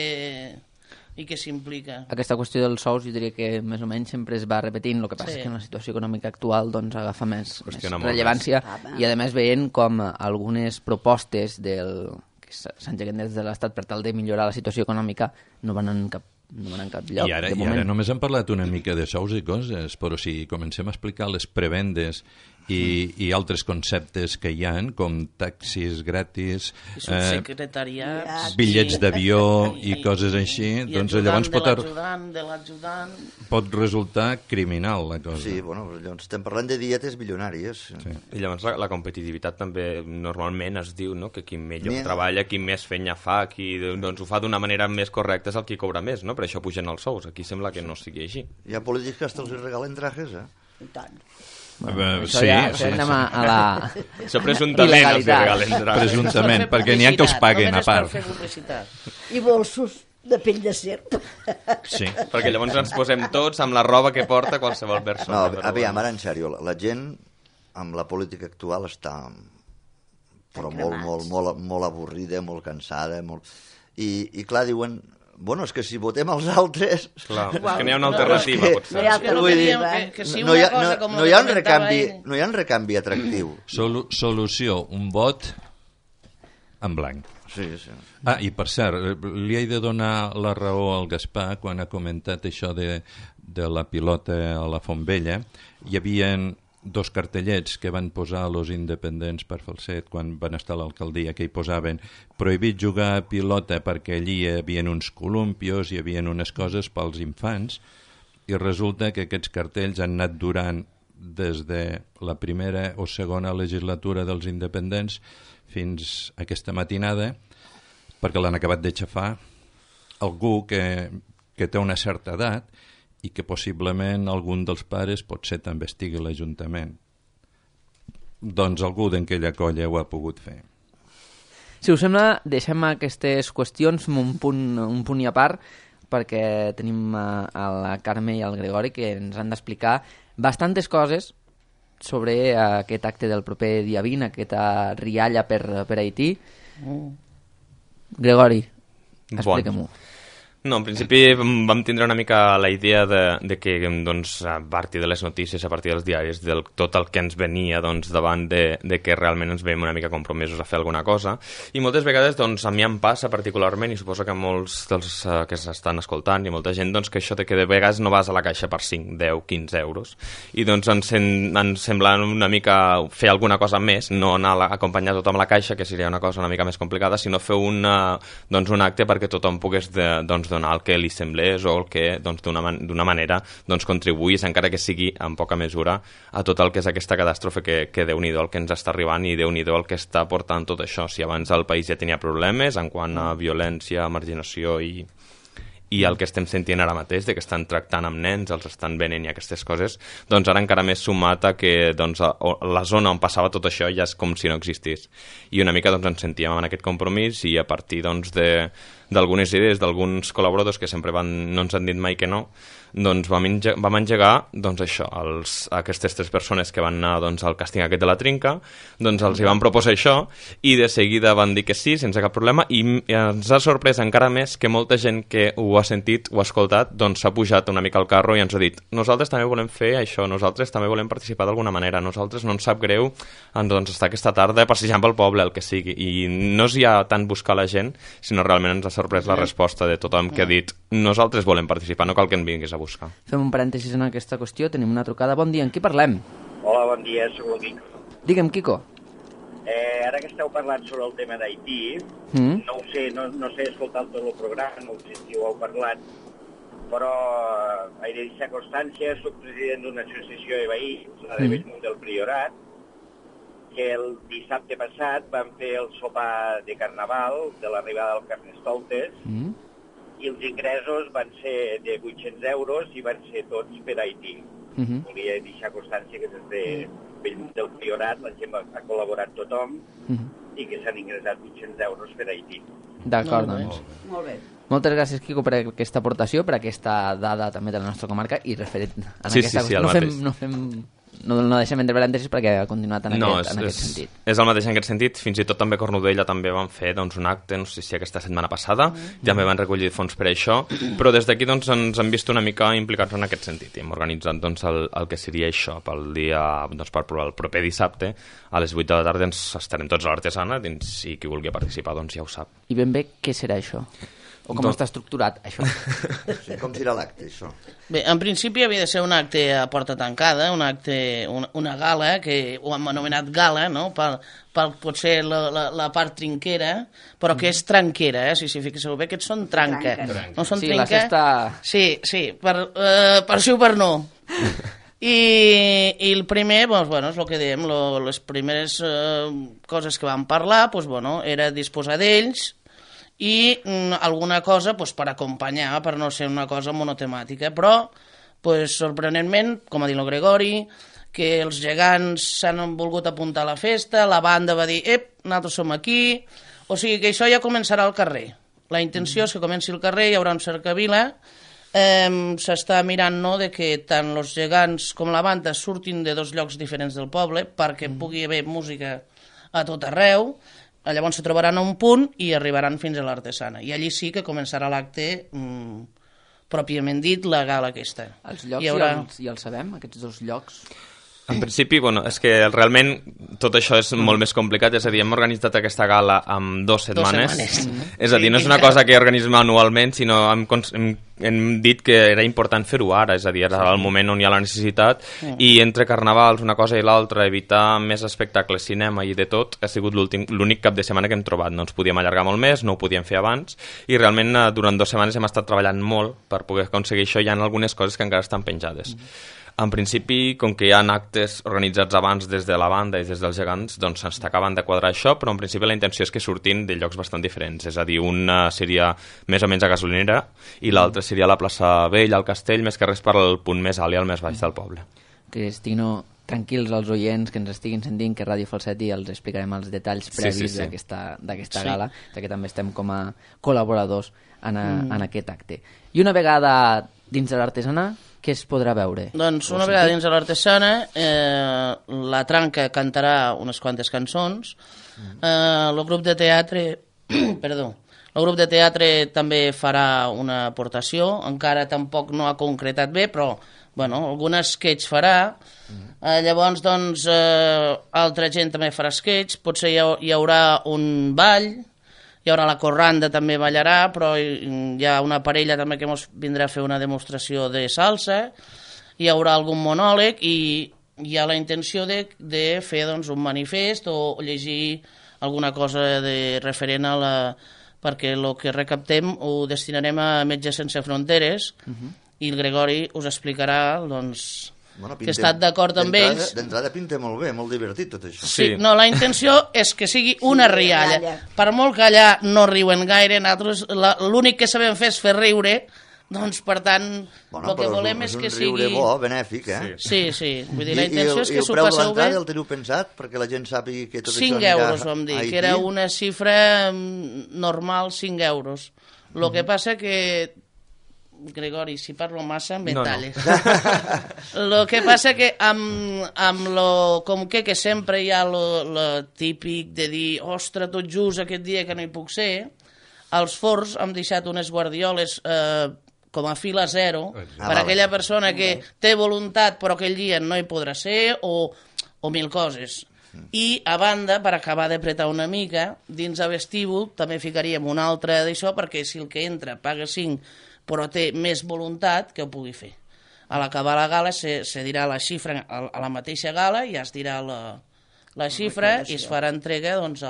i que s'implica. Aquesta qüestió dels sous, jo diria que més o menys sempre es va repetint, el que passa és que en la situació econòmica actual doncs, agafa més rellevància i a més veient com algunes propostes que s'engeguen des de l'Estat per tal de millorar la situació econòmica no van en cap lloc. I ara només hem parlat una mica de sous i coses, però si comencem a explicar les prebendes i altres conceptes que hi ha, com taxis gratis, bitllets d'avió i coses així, doncs llavors pot resultar criminal la cosa. Sí, bueno, llavors estem parlant de dietes milionàries. Sí. I llavors la competitivitat també normalment es diu, no?, que qui millor treballa, qui més feina fa, qui doncs, ho fa d'una manera més correcta és el qui cobra més, no? Per això pugen els sous. Aquí sembla que no sigui així. Hi ha polítics que hasta els regalen trajes, I tant. Això anem a la això presumptament els regalen trajes. Presumptament, perquè n'hi ha que els paguen a part. I bolsos de pell de serp. Sí. Perquè llavors ens posem tots amb la roba que porta qualsevol persona. No, aviam, ara en sèrio, la gent amb la política actual està molt avorrida, molt cansada, i clar, diuen... Bueno, és que si votem els altres... Clar, és que n'hi ha una alternativa, potser. No hi ha un recanvi atractiu. Solució, un vot en blanc. Sí. I per cert, li he de donar la raó al Gaspar quan ha comentat això de la pilota a la Fontvella. Hi havia dos cartellets que van posar els independents per Falset quan van estar a l'alcaldia, que hi posaven prohibit jugar a pilota perquè allí hi havia uns columpios, hi havia unes coses pels infants, i resulta que aquests cartells han anat durant des de la primera o segona legislatura dels independents fins a aquesta matinada, perquè l'han acabat d'aixafar algú que té una certa edat i que possiblement algun dels pares potser també estigui a l'Ajuntament. Doncs algú d'aquella colla ho ha pogut fer. Si us sembla, deixem aquestes qüestions un punt i a part, perquè tenim a la Carme i al Gregori que ens han d'explicar bastantes coses sobre aquest acte del proper dia 20, aquesta rialla per Haití. Gregori, explica-m'ho. No, en principi vam tindre una mica la idea de que doncs, a partir de les notícies, a partir dels diaris, de tot el que ens venia doncs, davant de que realment ens veiem una mica compromesos a fer alguna cosa. I moltes vegades doncs, a mi em passa particularment, i suposo que molts dels que s'estan escoltant i molta gent, doncs, que això de que de vegades no vas a la caixa per 5, 10, 15 euros. I doncs ens sembla una mica fer alguna cosa més, no anar a acompanyar tothom a la caixa, que seria una cosa una mica més complicada, sinó fer un acte perquè tothom pogués donar el que li semblés o el que doncs, d'una manera doncs, contribuís, encara que sigui en poca mesura, a tot el que és aquesta catàstrofe que Déu-n'hi-do el que ens està arribant i Déu-n'hi-do el que està portant tot això. Si abans el país ja tenia problemes en quant a violència, marginació i el que estem sentint ara mateix, de que estan tractant amb nens, els estan venent i aquestes coses, doncs ara encara més sumat a que doncs, la zona on passava tot això ja és com si no existís. I una mica doncs, ens sentíem en aquest compromís i a partir doncs, d'algunes idees d'alguns col·laboradors que sempre no ens han dit mai que no, doncs vam engegar doncs, això, aquestes 3 persones que van anar doncs, al càsting aquest de la trinca, doncs els hi van proposar això i de seguida van dir que sí, sense cap problema, i ens ha sorprès encara més que molta gent que ho ha sentit, ho ha escoltat, doncs s'ha pujat una mica al carro i ens ha dit nosaltres també volem fer això, nosaltres també volem participar d'alguna manera, nosaltres no ens sap greu doncs, estar aquesta tarda passejant pel poble, el que sigui, i no és ja tant buscar la gent, sinó realment ens ha sorprès la resposta de tothom que ha dit nosaltres volem participar, no cal que en vinguis a buscar. Fem un parèntesis en aquesta qüestió, tenim una trucada. Bon dia, amb qui parlem? Hola, bon dia, soc el Quico. Digue'm, Quico. Ara que esteu parlant sobre el tema d'Haití, no ho sé, no sé escoltar tot el programa, no sé si ho heu parlat, però he de deixar constància, soc president d'una associació de veïns, la de Bellmunt del Priorat, que el dissabte passat vam fer el sopar de Carnaval de l'arribada del Carnestoltes i els ingressos van ser de 800 euros i van ser tots per Haití. Volia deixar constància que des de Bellmunt del Priorat la gent ha col·laborat tothom i que s'han ingressat 800 euros per Haití. D'acord, doncs. Molt bé. Moltes gràcies, Quico, per aquesta aportació, per aquesta dada també de la nostra comarca i referent a aquesta qüestió. No deixem entre parèntesis perquè ha continuat en aquest sentit. És el mateix en aquest sentit. Fins i tot també a Cornudella també van fer doncs, un acte, no sé si aquesta setmana passada, també van recollir fons per això, però des d'aquí doncs, ens hem vist una mica implicats en aquest sentit i hem organitzat doncs, el que seria això pel dia, doncs, per el proper dissabte a les 8 de la tarda ens estarem tots a l'Artesana i qui vulgui participar doncs, ja ho sap. I ben bé què serà això? O com està estructurat, això? Sí, com serà l'acte, això? Bé, en principi havia de ser un acte a porta tancada, una gala, que ho hem anomenat gala, no?, potser la part trinquera, però que és tranquera, si s'hi fixeu bé, aquests són tranca. No són sí, trinca. La cesta... Sí, per sí o per no. I el primer, doncs, bueno, és el que dèiem, les primeres coses que vam parlar, doncs, bueno, era disposar d'ells, i alguna cosa pues, per acompanyar, per no ser una cosa monotemàtica. Però, pues, sorprenentment, com ha dit el Gregori, que els gegants s'han volgut apuntar a la festa, la banda va dir, nosaltres som aquí, o sigui que això ja començarà al carrer. La intenció és que comenci al carrer, hi haurà un cercavila, s'està mirant no, de que tant els gegants com la banda surtin de 2 llocs diferents del poble perquè pugui haver música a tot arreu. Llavors se trobaran a un punt i arribaran fins a l'Artesana. I allí sí que començarà l'acte pròpiament dit, la gala aquesta. Els llocs ja els sabem, aquests 2 llocs? En principi, bueno, és que realment tot això és molt més complicat, és a dir, hem organitzat aquesta gala amb 2 setmanes. És a dir, no és una cosa que organitzem anualment, sinó hem dit que era important fer-ho ara, és a dir, era el moment on hi ha la necessitat, i entre carnavals, una cosa i l'altra, evitar més espectacles, cinema i de tot, ha sigut l'únic cap de setmana que hem trobat. No ens podíem allargar molt més, no ho podíem fer abans, i realment durant 2 setmanes hem estat treballant molt per poder aconseguir això, hi ha algunes coses que encara estan penjades. En principi, com que hi ha actes organitzats abans des de la banda i des dels gegants, doncs ens acaben de quadrar això, però en principi la intenció és que surtin de llocs bastant diferents. És a dir, una seria més o menys a Gasolinera i l'altra seria a la plaça Vella, al Castell, més que res per al punt més alt i al més baix del poble. Cristino, tranquils als oients que ens estiguin sentint, que Ràdio Falset i els explicarem els detalls previs d'aquesta gala, que també estem com a col·laboradors en aquest acte. I una vegada dins de l'artesana, què es podrà veure? Doncs una vegada dins de l'artesana, la Tranca cantarà unes quantes cançons, el grup de teatre perdó, el grup de teatre també farà una aportació, encara tampoc no ha concretat bé, però bueno, algun sketch farà, llavors doncs altra gent també farà sketch, potser hi haurà un ball, hi haurà la corranda, també ballarà, però hi ha una parella també que ens vindrà a fer una demostració de salsa, hi haurà algun monòleg i hi ha la intenció de fer doncs, un manifest o llegir alguna cosa referent a la... perquè el que recaptem ho destinarem a Metges Sense Fronteres i el Gregori us explicarà doncs, que ha estat d'acord amb ells. D'entrada pinta molt bé, molt divertit tot això. Sí, no, la intenció és que sigui una rialla. Per molt que allà no riuen gaire, nosaltres l'únic que sabem fer és fer riure, doncs per tant el que volem és que sigui... És un riure bo, benèfic, eh? Sí, vull dir, la intenció és que s'ho passeu bé. I el preu de l'entrada el teniu pensat perquè la gent sàpiga que tot això anirà 5 euros, vam dir, que era una xifra normal, 5 euros. El que passa que... Gregori, si parlo massa, em talles. El que passa que amb lo com que sempre hi ha lo típic de dir ostres, tot just aquest dia que no hi puc ser, als forns hem deixat unes guardioles com a fila zero per a aquella persona que té voluntat però aquell dia no hi podrà ser o 1000 coses. I a banda, per acabar d'apretar una mica, dins el vestíbul també ficaríem una altra d'això perquè si el que entra paga 5 però té més voluntat que ho pugui fer. A l'acabar la gala se dirà la xifra a la mateixa gala i es dirà la xifra i es farà entrega doncs,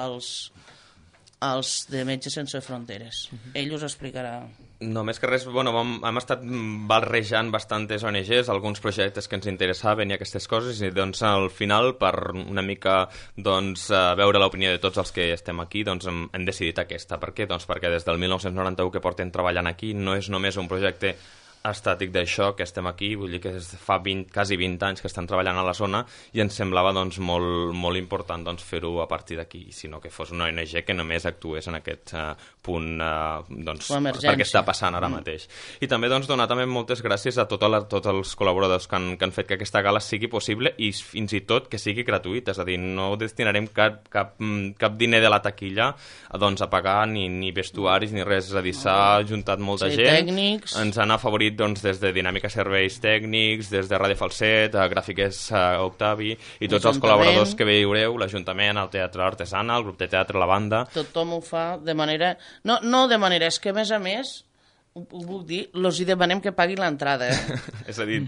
als de Metges Sense Fronteres. Ell us explicarà. No, més que res, bueno, hem estat barrejant bastantes ONGs, alguns projectes que ens interessaven i aquestes coses, i doncs al final, per una mica doncs, veure l'opinió de tots els que estem aquí, doncs hem decidit aquesta. Per què? Doncs perquè des del 1991 que portem treballant aquí no és només un projecte estàtic d'això que estem aquí, vull dir que fa quasi 20 anys que estan treballant a la zona i ens semblava doncs, molt important doncs, fer-ho a partir d'aquí, sinó que fos una ONG que només actués en aquest punt doncs, perquè està passant ara mateix. I també doncs, donar també moltes gràcies a tots els col·laboradors que han fet que aquesta gala sigui possible i fins i tot que sigui gratuïta, és a dir, no destinarem cap diner de la taquilla doncs, a pagar ni vestuaris ni res, és a dir, s'ha ajuntat molta gent, tècnics. Ens han afavorit doncs, des de Dinàmica Serveis Tècnics, des de Ràdio Falset, a Gràfiques Octavi i tots els col·laboradors que veureu, l'Ajuntament, el Teatre Artesana, el grup de teatre, la banda. Tothom ho fa de manera... No de manera, és que a més, ho puc dir, els hi demanem que paguin l'entrada. És a dir,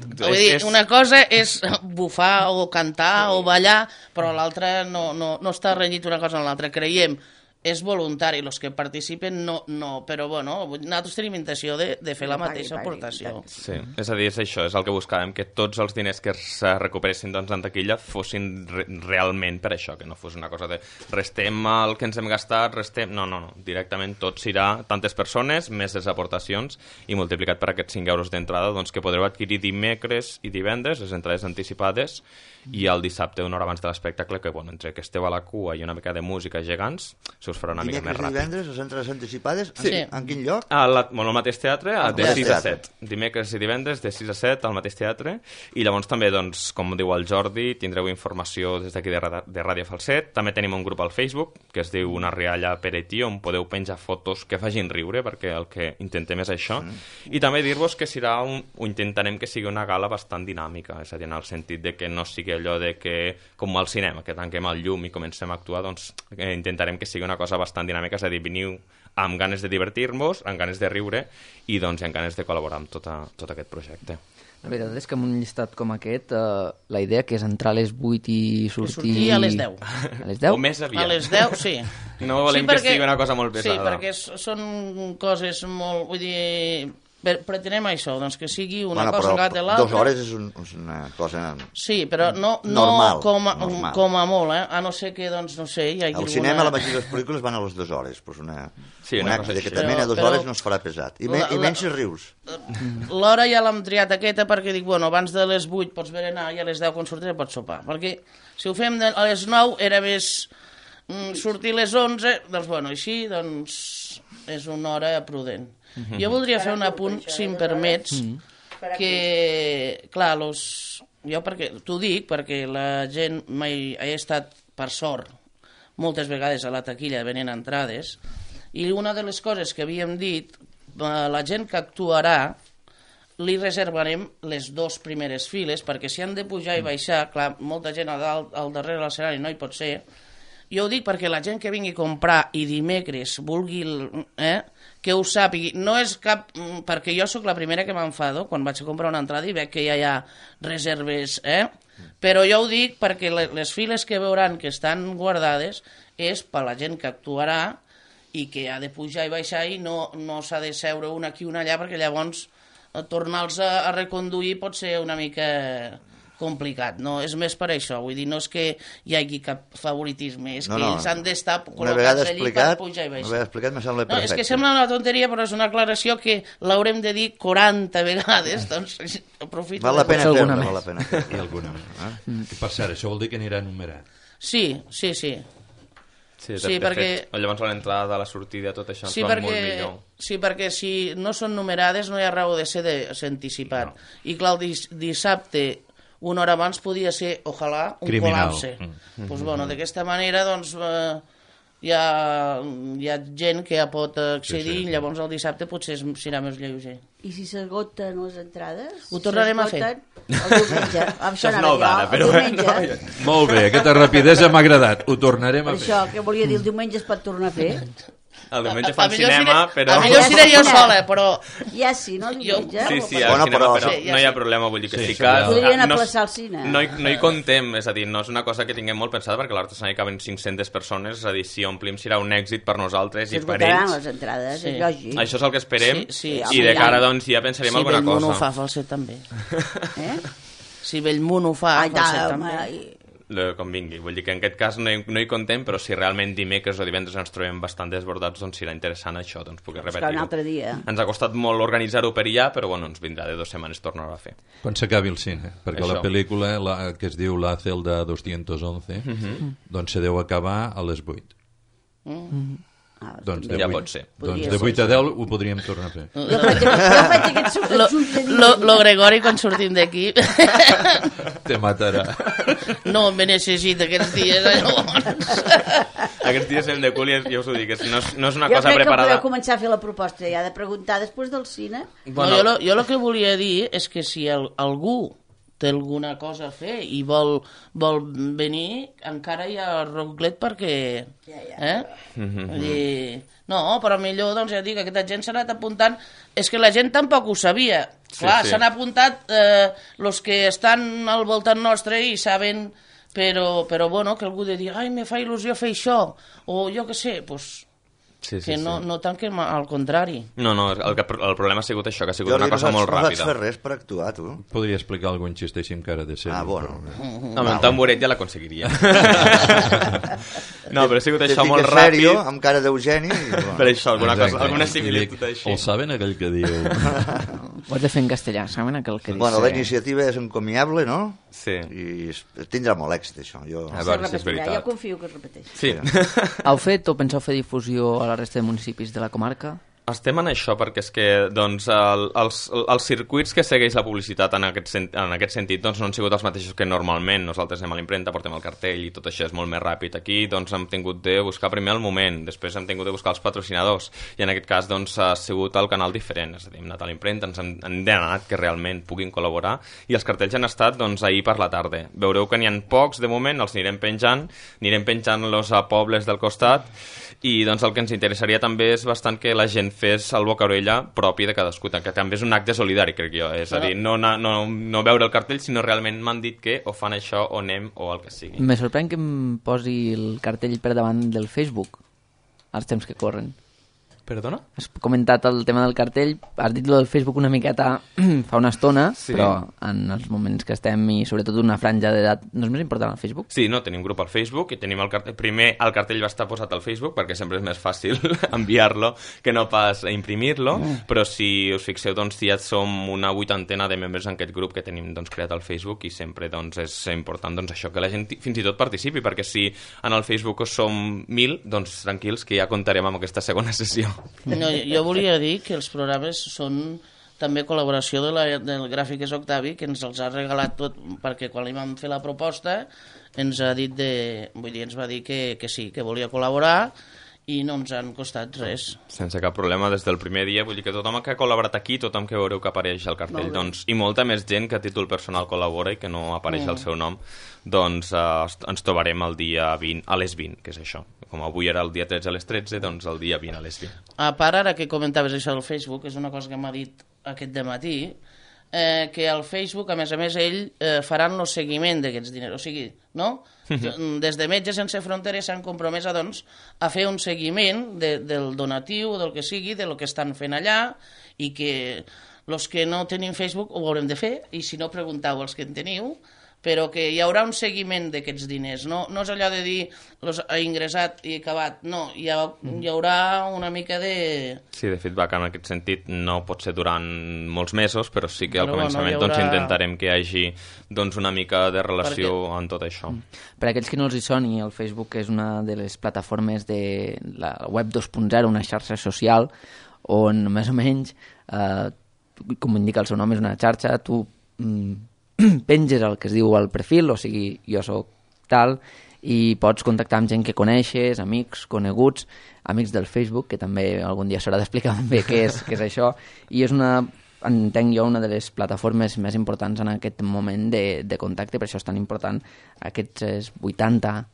una cosa és bufar o cantar o ballar, però l'altra no està renyit una cosa en l'altra. Creiem és voluntari, els que participen no, però bueno, nosaltres tenim intenció de fer la mateixa aportació. Sí, és a dir, és això, és el que buscàvem, que tots els diners que es recuperessin doncs, en taquilla fossin realment per això, que no fos una cosa de restem el que ens hem gastat, restem... No, directament tot serà tantes persones, més les aportacions, i multiplicat per aquests 5 euros d'entrada, doncs que podreu adquirir dimecres i divendres, les entrades anticipades, i el dissabte, una hora abans de l'espectacle, que bueno, entre que esteu a la cua i una mica de música gegants, se us farà una mica més ràpid. Dimecres i divendres, les entrades anticipades, sí. En quin lloc? Al mateix teatre, de 6 a 7. Dimecres i divendres, de 6 a 7, al mateix teatre, i llavors també, doncs, com diu el Jordi, tindreu informació des d'aquí de Ràdio Falset. També tenim un grup al Facebook, que es diu Una rialla per Etí, on podeu penjar fotos que facin riure, perquè el que intentem és això. I també dir-vos que ho intentarem que sigui una gala bastant dinàmica, és a dir, en el sentit de que no sigui allò de que, com al cinema, que tanquem el llum i comencem a actuar, doncs intentarem que sigui una cosa bastant dinàmica, és a dir, veniu amb ganes de divertir-vos, amb ganes de riure i doncs amb ganes de col·laborar amb tot aquest projecte. La veritat és que amb un llistat com aquest, la idea que és entrar a les 8 i sortir... a les 10. A les 10? O més aviat. A les 10, sí. No volem que sigui una cosa molt pesada. Sí, perquè són coses molt... Vull dir, pretenem això, doncs que sigui una cosa encara de l'altra. 2 hores és una cosa sí, però no normal, com a molt, a no ser que, doncs, no sé, hi hagi al cinema la majoria de les pel·lícules van a les 2 hores, doncs una acte que també a 2 hores no es farà pesat. I menys si rius. L'hora ja l'hem triat aquesta perquè dic, bueno, abans de les 8 pots berenar i a les 10 quan sortiré pots sopar. Perquè si ho fem a les 9 era més sortir a les 11, doncs, bueno, així, doncs, és una hora prudent. Jo voldria fer un apunt, si em permets, que, clar, jo t'ho dic perquè la gent mai ha estat, per sort, moltes vegades a la taquilla venent entrades, i una de les coses que havíem dit, la gent que actuarà li reservarem les 2 primeres files, perquè si han de pujar i baixar, clar, molta gent al darrere de l'escenari no hi pot ser. Jo ho dic perquè la gent que vingui a comprar i dimecres vulgui, que ho sàpigui, no és cap... perquè jo sóc la primera que m'enfado quan vaig a comprar una entrada i veig que ja hi ha reserves, però jo ho dic perquè les files que veuran que estan guardades és per la gent que actuarà i que ha de pujar i baixar i no s'ha de seure un aquí i un allà perquè llavors tornar-los a reconduir pot ser una mica complicat, no? És més per això, vull dir, no és que hi hagi cap favoritisme, és que ells han d'estar col·locats allí per pujar i baixar. Una vegada explicat me sembla perfecte. És que sembla una tonteria, però és una aclaració que l'haurem de dir 40 vegades, doncs aprofito. Val la pena fer-la, val la pena fer-la. I alguna més. I per cert, això vol dir que anirà numerat. Sí. Sí, perquè... Llavors a l'entrada, a la sortida, tot això ens va molt millor. Sí, perquè si no són numerades no hi ha raó de ser anticipat. I clar, el dissabte, una hora abans podia ser, ojalà, un col·lapse. Doncs, bueno, d'aquesta manera, doncs, hi ha gent que ja pot accedir i llavors el dissabte potser serà més lleuger. I si s'esgoten les entrades? Ho tornarem a fer. El diumenge. Això és nou d'ara, però... Molt bé, aquesta rapidesa m'ha agradat. Ho tornarem a fer. Per això, que volia dir, el diumenge es pot tornar a fer? El diumenge fan cinema, però... A millor seré jo sola, però... Ja sí, no, el diumenge? Sí, al cinema, però no hi ha problema, vull dir que sí que... Podrien aplaçar el cine. No hi contem, és a dir, no és una cosa que tinguem molt pensada, perquè a l'artesania caben 500 persones, és a dir, si omplim serà un èxit per nosaltres i per ells. S'esgotaran les entrades, és lògic. Això és el que esperem, i de cara, doncs, ja pensarem alguna cosa. Si Bellmunt ho fa, falset també. Si Bellmunt ho fa, falset també. Com vingui, vull dir que en aquest cas no hi contem, però si realment dimecres o divendres ens trobem bastant desbordats, doncs serà interessant això, doncs poder repetir-ho. Un altre dia. Ens ha costat molt organitzar-ho per allà, però bueno, ens vindrà de 2 setmanes tornar-ho a fer. Quan s'acabi el cine, perquè la pel·lícula que es diu La Celda 211 doncs se deu acabar a les 8. Doncs ja pot ser. Doncs de 8 a 10 ho podríem tornar a fer. Jo faig aquests ulls de dia. Lo Gregori, quan sortim d'aquí... Te matarà. No me necessita aquests dies, llavors. Aquests dies hem de cul i ja us ho dic, no és una cosa preparada. Jo crec que podeu començar a fer la proposta ja de preguntar després del cine. Bueno, jo el que volia dir és que si algú té alguna cosa a fer i vol venir, encara hi ha roclet perquè... No, però millor, doncs ja dic, aquesta gent s'ha anat apuntant... És que la gent tampoc ho sabia. Clar, s'han apuntat els que estan al voltant nostre i saben... Però bueno, que algú de dir, ai, me fa il·lusió fer això, o jo què sé, doncs... que no tant que al contrari. No, el problema ha sigut això, que ha sigut una cosa molt ràpida. No vaig fer res per actuar, tu. Podria explicar algun xiste així amb cara de ser. Bueno. Amb un tamboret ja l'aconseguiria. No, però ha sigut això molt ràpid. Sèrio, amb cara d'Eugeni. Per això, alguna similitud així. El saben aquell que diu... Ho has de fer en castellà, saben aquell que diu... Bueno, la iniciativa és encomiable, no? Sí. I tindrà molt èxit, això. A veure si és veritat. Jo confio que es repeteixi. Sí. Heu fet o penseu fer difusió a la resta de municipis de la comarca? Estem en això perquè és que doncs, els circuits que segueix la publicitat en aquest sentit doncs, no han sigut els mateixos que normalment. Nosaltres anem a l'impremta, portem el cartell i tot això és molt més ràpid. Aquí doncs, hem tingut de buscar primer el moment, després hem tingut de buscar els patrocinadors i en aquest cas doncs, ha sigut el canal diferent. És a dir, hem anat a l'impremta, ens han demanat que realment puguin col·laborar i els cartells han estat doncs, ahir per la tarda. Veureu que n'hi ha pocs de moment, els anirem penjant-los a pobles del costat i doncs, el que ens interessaria també és bastant que la gent fes el boca-orella propi de cadascú, que també és un acte solidari, crec jo. És a dir, no veure el cartell, sinó realment m'han dit que o fan això o anem o el que sigui. Me sorprèn que em posi el cartell per davant del Facebook als temps que corren. Perdona? Has comentat el tema del cartell, has dit lo del Facebook una miqueta fa una estona, sí. Però en els moments que estem i sobretot una franja d'edat, no és més important el Facebook? Sí, no, tenim grup al Facebook i tenim el cartell. Primer el cartell va estar posat al Facebook perquè sempre és més fàcil enviar-lo que no pas imprimir-lo, però si us fixeu, doncs ja som una 80 de membres en aquest grup que tenim doncs, creat al Facebook i sempre doncs, és important doncs, això, que la gent fins i tot participi, perquè si en el Facebook som 1.000, doncs tranquils que ja comptarem amb aquesta segona sessió. No, jo volia dir que els programes són també col·laboració del Gràfiques Octavi, que ens els ha regalat tot, perquè quan li vam fer la proposta ens ha dit ens va dir que sí, que volia col·laborar i no ens han costat res. Sense cap problema des del primer dia, vull dir que tothom que ha col·laborat aquí, tothom que veureu que apareix al cartell, doncs, i molta més gent que a títol personal col·labora i que no apareix el seu nom, doncs ens trobarem el dia 20 a les 20, que és això. Com avui era el dia 13 a les 13, doncs el dia 20 a les 20. A part, ara que comentaves això del Facebook, és una cosa que m'ha dit aquest dematí, que al Facebook, a més, ell faran el seguiment d'aquests diners. O sigui, no? Des de Metges Sense Fronteres s'han compromès a fer un seguiment del donatiu, del que sigui, del que estan fent allà, i que els que no tenim Facebook ho haurem de fer, i si no, preguntau als que en teniu, però que hi haurà un seguiment d'aquests diners. No és allò de dir ha ingressat i acabat, no, hi haurà una mica de... Sí, de feedback en aquest sentit no pot ser durant molts mesos, però sí que al començament doncs, intentarem que hi hagi doncs, una mica de relació en tot això. Per aquells que no els hi soni, el Facebook és una de les plataformes de la web 2.0, una xarxa social on més o menys, com indica el seu nom, és una xarxa, tu penges el que es diu al perfil, o sigui, jo soc tal, i pots contactar amb gent que coneixes, amics, coneguts, amics del Facebook, que també algun dia s'haurà d'explicar bé què és això, i és entenc jo, una de les plataformes més importants en aquest moment de contacte, per això és tan important aquestes 80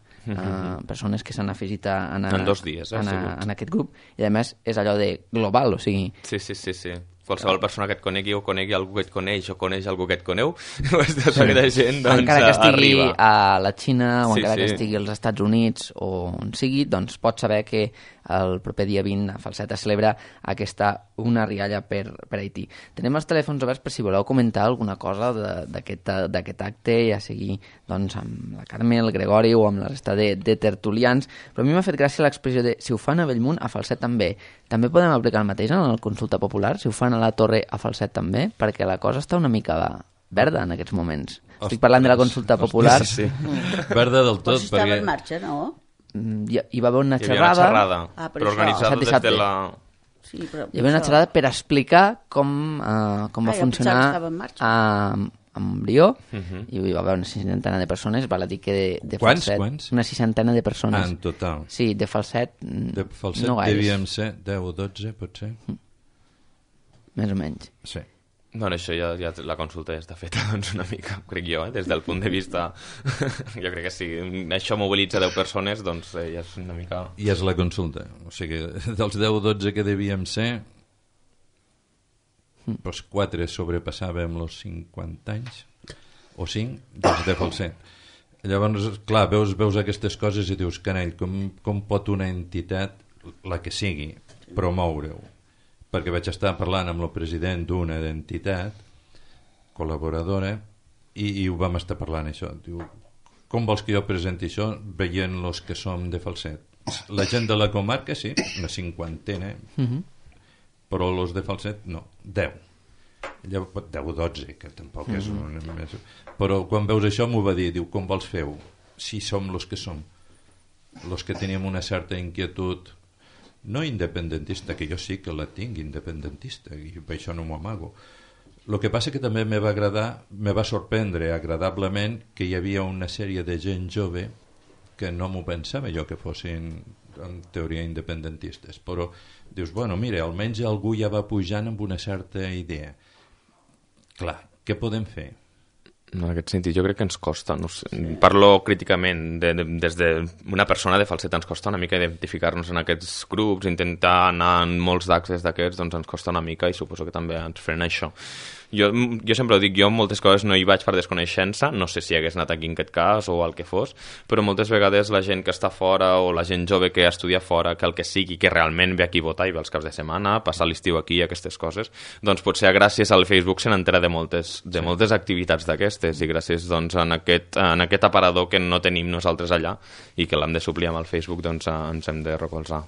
persones que s'han afegit en 2 dies, en aquest grup, i a més és allò de global, o sigui... Sí. Qualsevol persona que et conegui o conegui algú que et coneix o coneix algú que et coneu, aquesta gent doncs, encara que estigui arriba a la Xina o encara que estigui als Estats Units o on sigui, doncs pot saber que el proper dia 20 a Falset es celebra una rialla per Haití. Tenim els telèfons oberts per si voleu comentar alguna cosa d'aquest acte, ja sigui doncs, amb la Carme, el Gregori o amb la resta de tertulians, però a mi m'ha fet gràcia l'expressió de si ho fan a Bellmunt, a Falset també. També podem aplicar el mateix en la consulta popular, si ho fan a la Torre, a Falset també, perquè la cosa està una mica verda en aquests moments. Estic parlant de la consulta popular. Sí. Verda del tot. Però si estava en marxa, no? Hi va haver una xerrada, però organitzada des de la... Sí, però hi va haver una xerrada per explicar com va funcionar a Montbrió, i hi va haver una 60 de persones, val a dir que de Falset... Quants? Una 60 de persones. En total? Sí, de Falset de Falset no gaires. Devíem ser 10 o 12, potser? Més o menys. Sí. Bueno, això ja la consulta ja està feta doncs, una mica, crec jo, des del punt de vista... jo crec que si això mobilitza 10 persones, doncs ja és una mica... I és la consulta. O sigui, dels 10 o 12 que devíem ser, doncs 4 sobrepassàvem els 50 anys, o 5, des de Falset. Llavors, clar, veus aquestes coses i dius, carai, com pot una entitat, la que sigui, promoure-ho? Perquè vaig estar parlant amb el president d'una entitat col·laboradora i ho vam estar parlant això. Diu, com vols que jo presenti això veient els que som de Falset? La gent de la comarca sí, una 50, però els de Falset no, 10 o 12, que tampoc és una més. Però quan veus això m'ho va dir, diu, com vols fer-ho? Si som els que som, els que tenim una certa inquietud no independentista, que jo sí que la tinc independentista i per això no m'ho amago. El que passa que també me va sorprendre agradablement que hi havia una sèrie de gent jove que no m'ho pensava jo que fossin en teoria independentistes, però dius, bueno, mira, almenys algú ja va pujant amb una certa idea. Clar, què podem fer? En aquest sentit jo crec que ens costa, no sé, parlo críticament des d'una persona de Falset, ens costa una mica identificar-nos en aquests grups, intentar anar en molts d'actes d'aquests, doncs ens costa una mica i suposo que també ens frena això. Jo sempre ho dic, jo moltes coses no hi vaig per desconeixença, no sé si hagués anat aquí en aquest cas o el que fos, però moltes vegades la gent que està fora o la gent jove que estudia fora, que el que sigui, que realment ve aquí a votar i ve els caps de setmana, passar l'estiu aquí, aquestes coses, doncs potser gràcies al Facebook se n'entera de moltes activitats d'aquestes, i gràcies doncs en aquest aparador que no tenim nosaltres allà i que l'hem de suplir amb el Facebook, doncs ens hem de recolzar.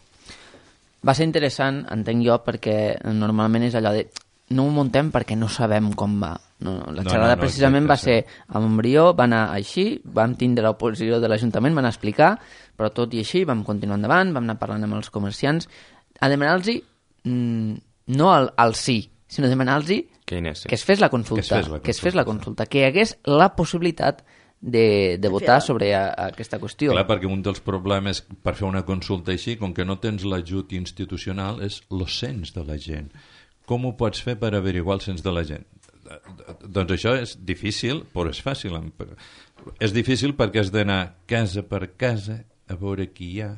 Va ser interessant, entenc jo, perquè normalment és allò de no ho muntem perquè no sabem com va. La xerrada precisament va ser a Montbrió, va anar així, vam tindre l'oposició de l'Ajuntament, van explicar, però tot i així vam continuar endavant, vam anar parlant amb els comerciants, a demanar-los no al sí, sinó demanar-los que es fes la consulta, que hi hagués la possibilitat de votar sobre aquesta qüestió. Clar, perquè un dels problemes per fer una consulta així, com que no tens l'ajut institucional, és el cens de la gent. Com ho pots fer per averiguar el cens de la gent? Doncs això és difícil, però és fàcil. És difícil perquè has d'anar casa per casa a veure qui hi ha,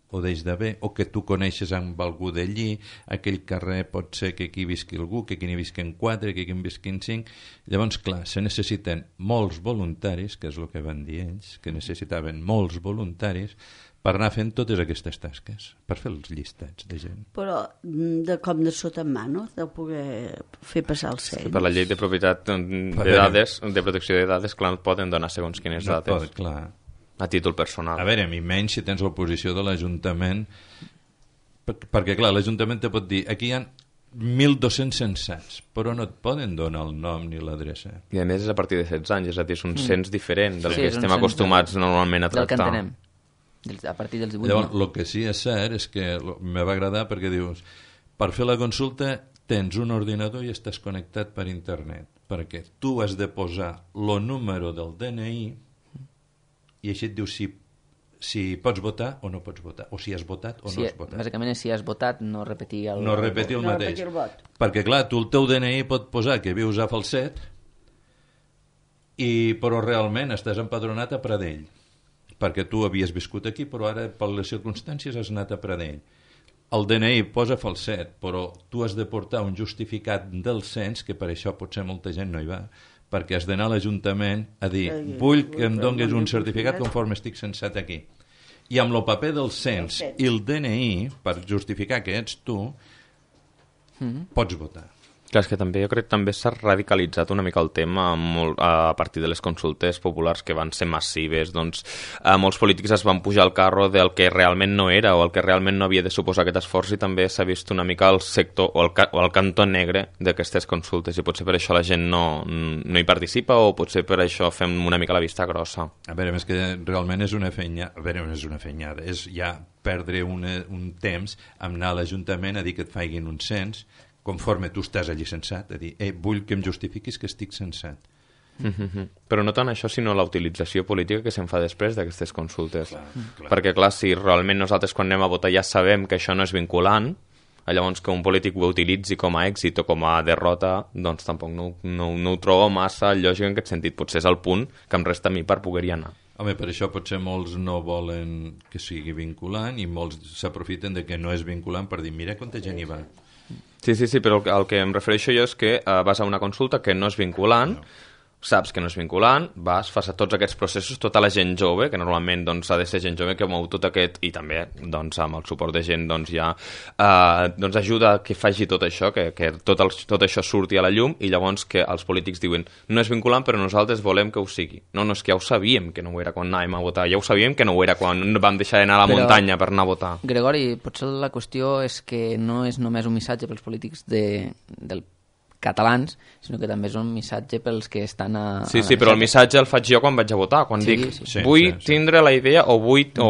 o deix d'haver, o que tu coneixes amb algú d'allí, aquell carrer pot ser que aquí visqui algú, que aquí n'hi visquen 4, que aquí n'hi visquen 5. Llavors, clar, se necessiten molts voluntaris, que és el que van dir ells, que necessitaven molts voluntaris per anar fent totes aquestes tasques, per fer els llistats de gent. Però com de sota en mà, no? De poder fer passar el cens. Per la llei de propietat de dades, de protecció de dades, clar, poden donar segons quines dades. Clar. A títol personal. A veure, i menys si tens l'oposició de l'Ajuntament, perquè clar, l'Ajuntament te pot dir aquí hi ha 1.200 censats, però no et poden donar el nom ni l'adreça. I a més és a partir de 16 anys, és a dir, és un cens diferent del que estem acostumats normalment a tractar. Del que entenem, a partir dels 18. Llavors, el que sí és cert és que me va agradar perquè dius, per fer la consulta tens un ordinador i estàs connectat per internet, perquè tu has de posar el número del DNI i així et diu si pots votar o no pots votar, o si has votat o no has votat. Bàsicament, si has votat, no repetir el mateix. Perquè, clar, tu el teu DNI pot posar que vius a Falset, però realment estàs empadronat a Pradell, perquè tu havies viscut aquí, però ara, per les circumstàncies, has anat a Pradell. El DNI posa Falset, però tu has de portar un justificat del cens, que per això potser molta gent no hi va, perquè has d'anar a l'Ajuntament a dir vull que em donis un certificat conforme estic censat aquí. I amb el paper del cens i el DNI, per justificar que ets tu, pots votar. Clar, és que també jo crec que també s'ha radicalitzat una mica el tema a partir de les consultes populars que van ser massives, doncs molts polítics es van pujar al carro del que realment no era o el que realment no havia de suposar aquest esforç, i també s'ha vist una mica el sector o el cantó negre d'aquestes consultes, i potser per això la gent no hi participa, o potser per això fem una mica la vista grossa. A veure, és que realment és una feinyada, és ja perdre un temps amb anar a l'Ajuntament a dir que et faiguin un cens conforme tu estàs allí censat, a dir, vull que em justifiquis que estic censat. Però no tant això, sinó la utilització política que se'n fa després d'aquestes consultes. Clar. Perquè, clar, si realment nosaltres quan anem a votar ja sabem que això no és vinculant, llavors que un polític ho utilitzi com a èxit o com a derrota, doncs tampoc no ho trobo massa lògic en aquest sentit. Potser és el punt que em resta a mi per poder-hi anar. Home, per això potser molts no volen que sigui vinculant i molts s'aprofiten de que no és vinculant per dir, mira quanta gent hi va. Sí, però el que em refereixo jo és que vas a una consulta que no és vinculant, saps que no és vinculant, fas tots aquests processos, tota la gent jove, que normalment doncs, ha de ser gent jove que mou tot aquest, i també doncs, amb el suport de gent doncs, ja doncs, ajuda que faci tot això, que tot això surti a la llum, i llavors que els polítics diuen no és vinculant però nosaltres volem que ho sigui. No, és que ja ho sabíem que no ho era quan anàvem a votar, ja ho sabíem que no ho era quan vam deixar d'anar a la muntanya per anar a votar. Gregori, potser la qüestió és que no és només un missatge pels polítics del catalans, sinó que també és un missatge pels que estan a... Sí, però el missatge el faig jo quan vaig a votar, quan dic vull tindre la idea o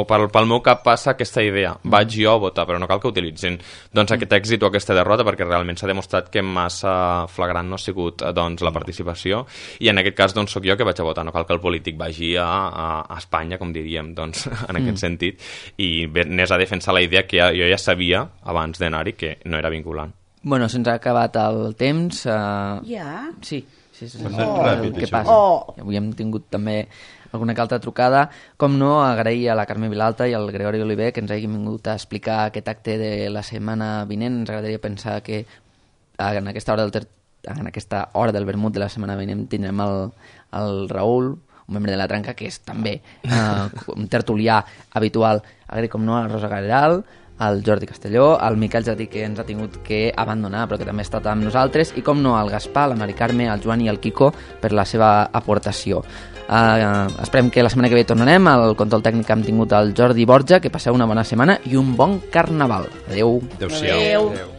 pel meu cap passa aquesta idea, vaig jo a votar, però no cal que utilitzin doncs aquest èxit o aquesta derrota, perquè realment s'ha demostrat que massa flagrant no ha sigut doncs, la participació, i en aquest cas doncs sóc jo que vaig a votar, no cal que el polític vagi a Espanya, com diríem, doncs, en aquest sentit, i anés a defensar la idea que jo ja sabia abans d'anar-hi que no era vinculant. Bueno, se'ns ha acabat el temps. Ja? Sí. Què passa? Avui hem tingut també alguna que altra trucada. Com no, agrair a la Carme Vilalta i al Gregori Oliver que ens hagin vingut a explicar aquest acte de la setmana vinent. Ens agradaria pensar que en aquesta hora del en aquesta hora del vermut de la setmana vinent tindrem el Raül, un membre de la Tranca, que és també un tertulià habitual, com no, a Rosa Gareral, el Jordi Castelló, el Miquel Jardí, que ens ha tingut que abandonar però que també ha estat amb nosaltres, i com no, el Gaspar, la Mari Carme, el Joan i el Quico per la seva aportació. Esperem que la setmana que ve tornarem. Al control tècnic hem tingut el Jordi Borja. Que passeu una bona setmana i un bon carnaval. Adeu. Adéu-siau. Adéu.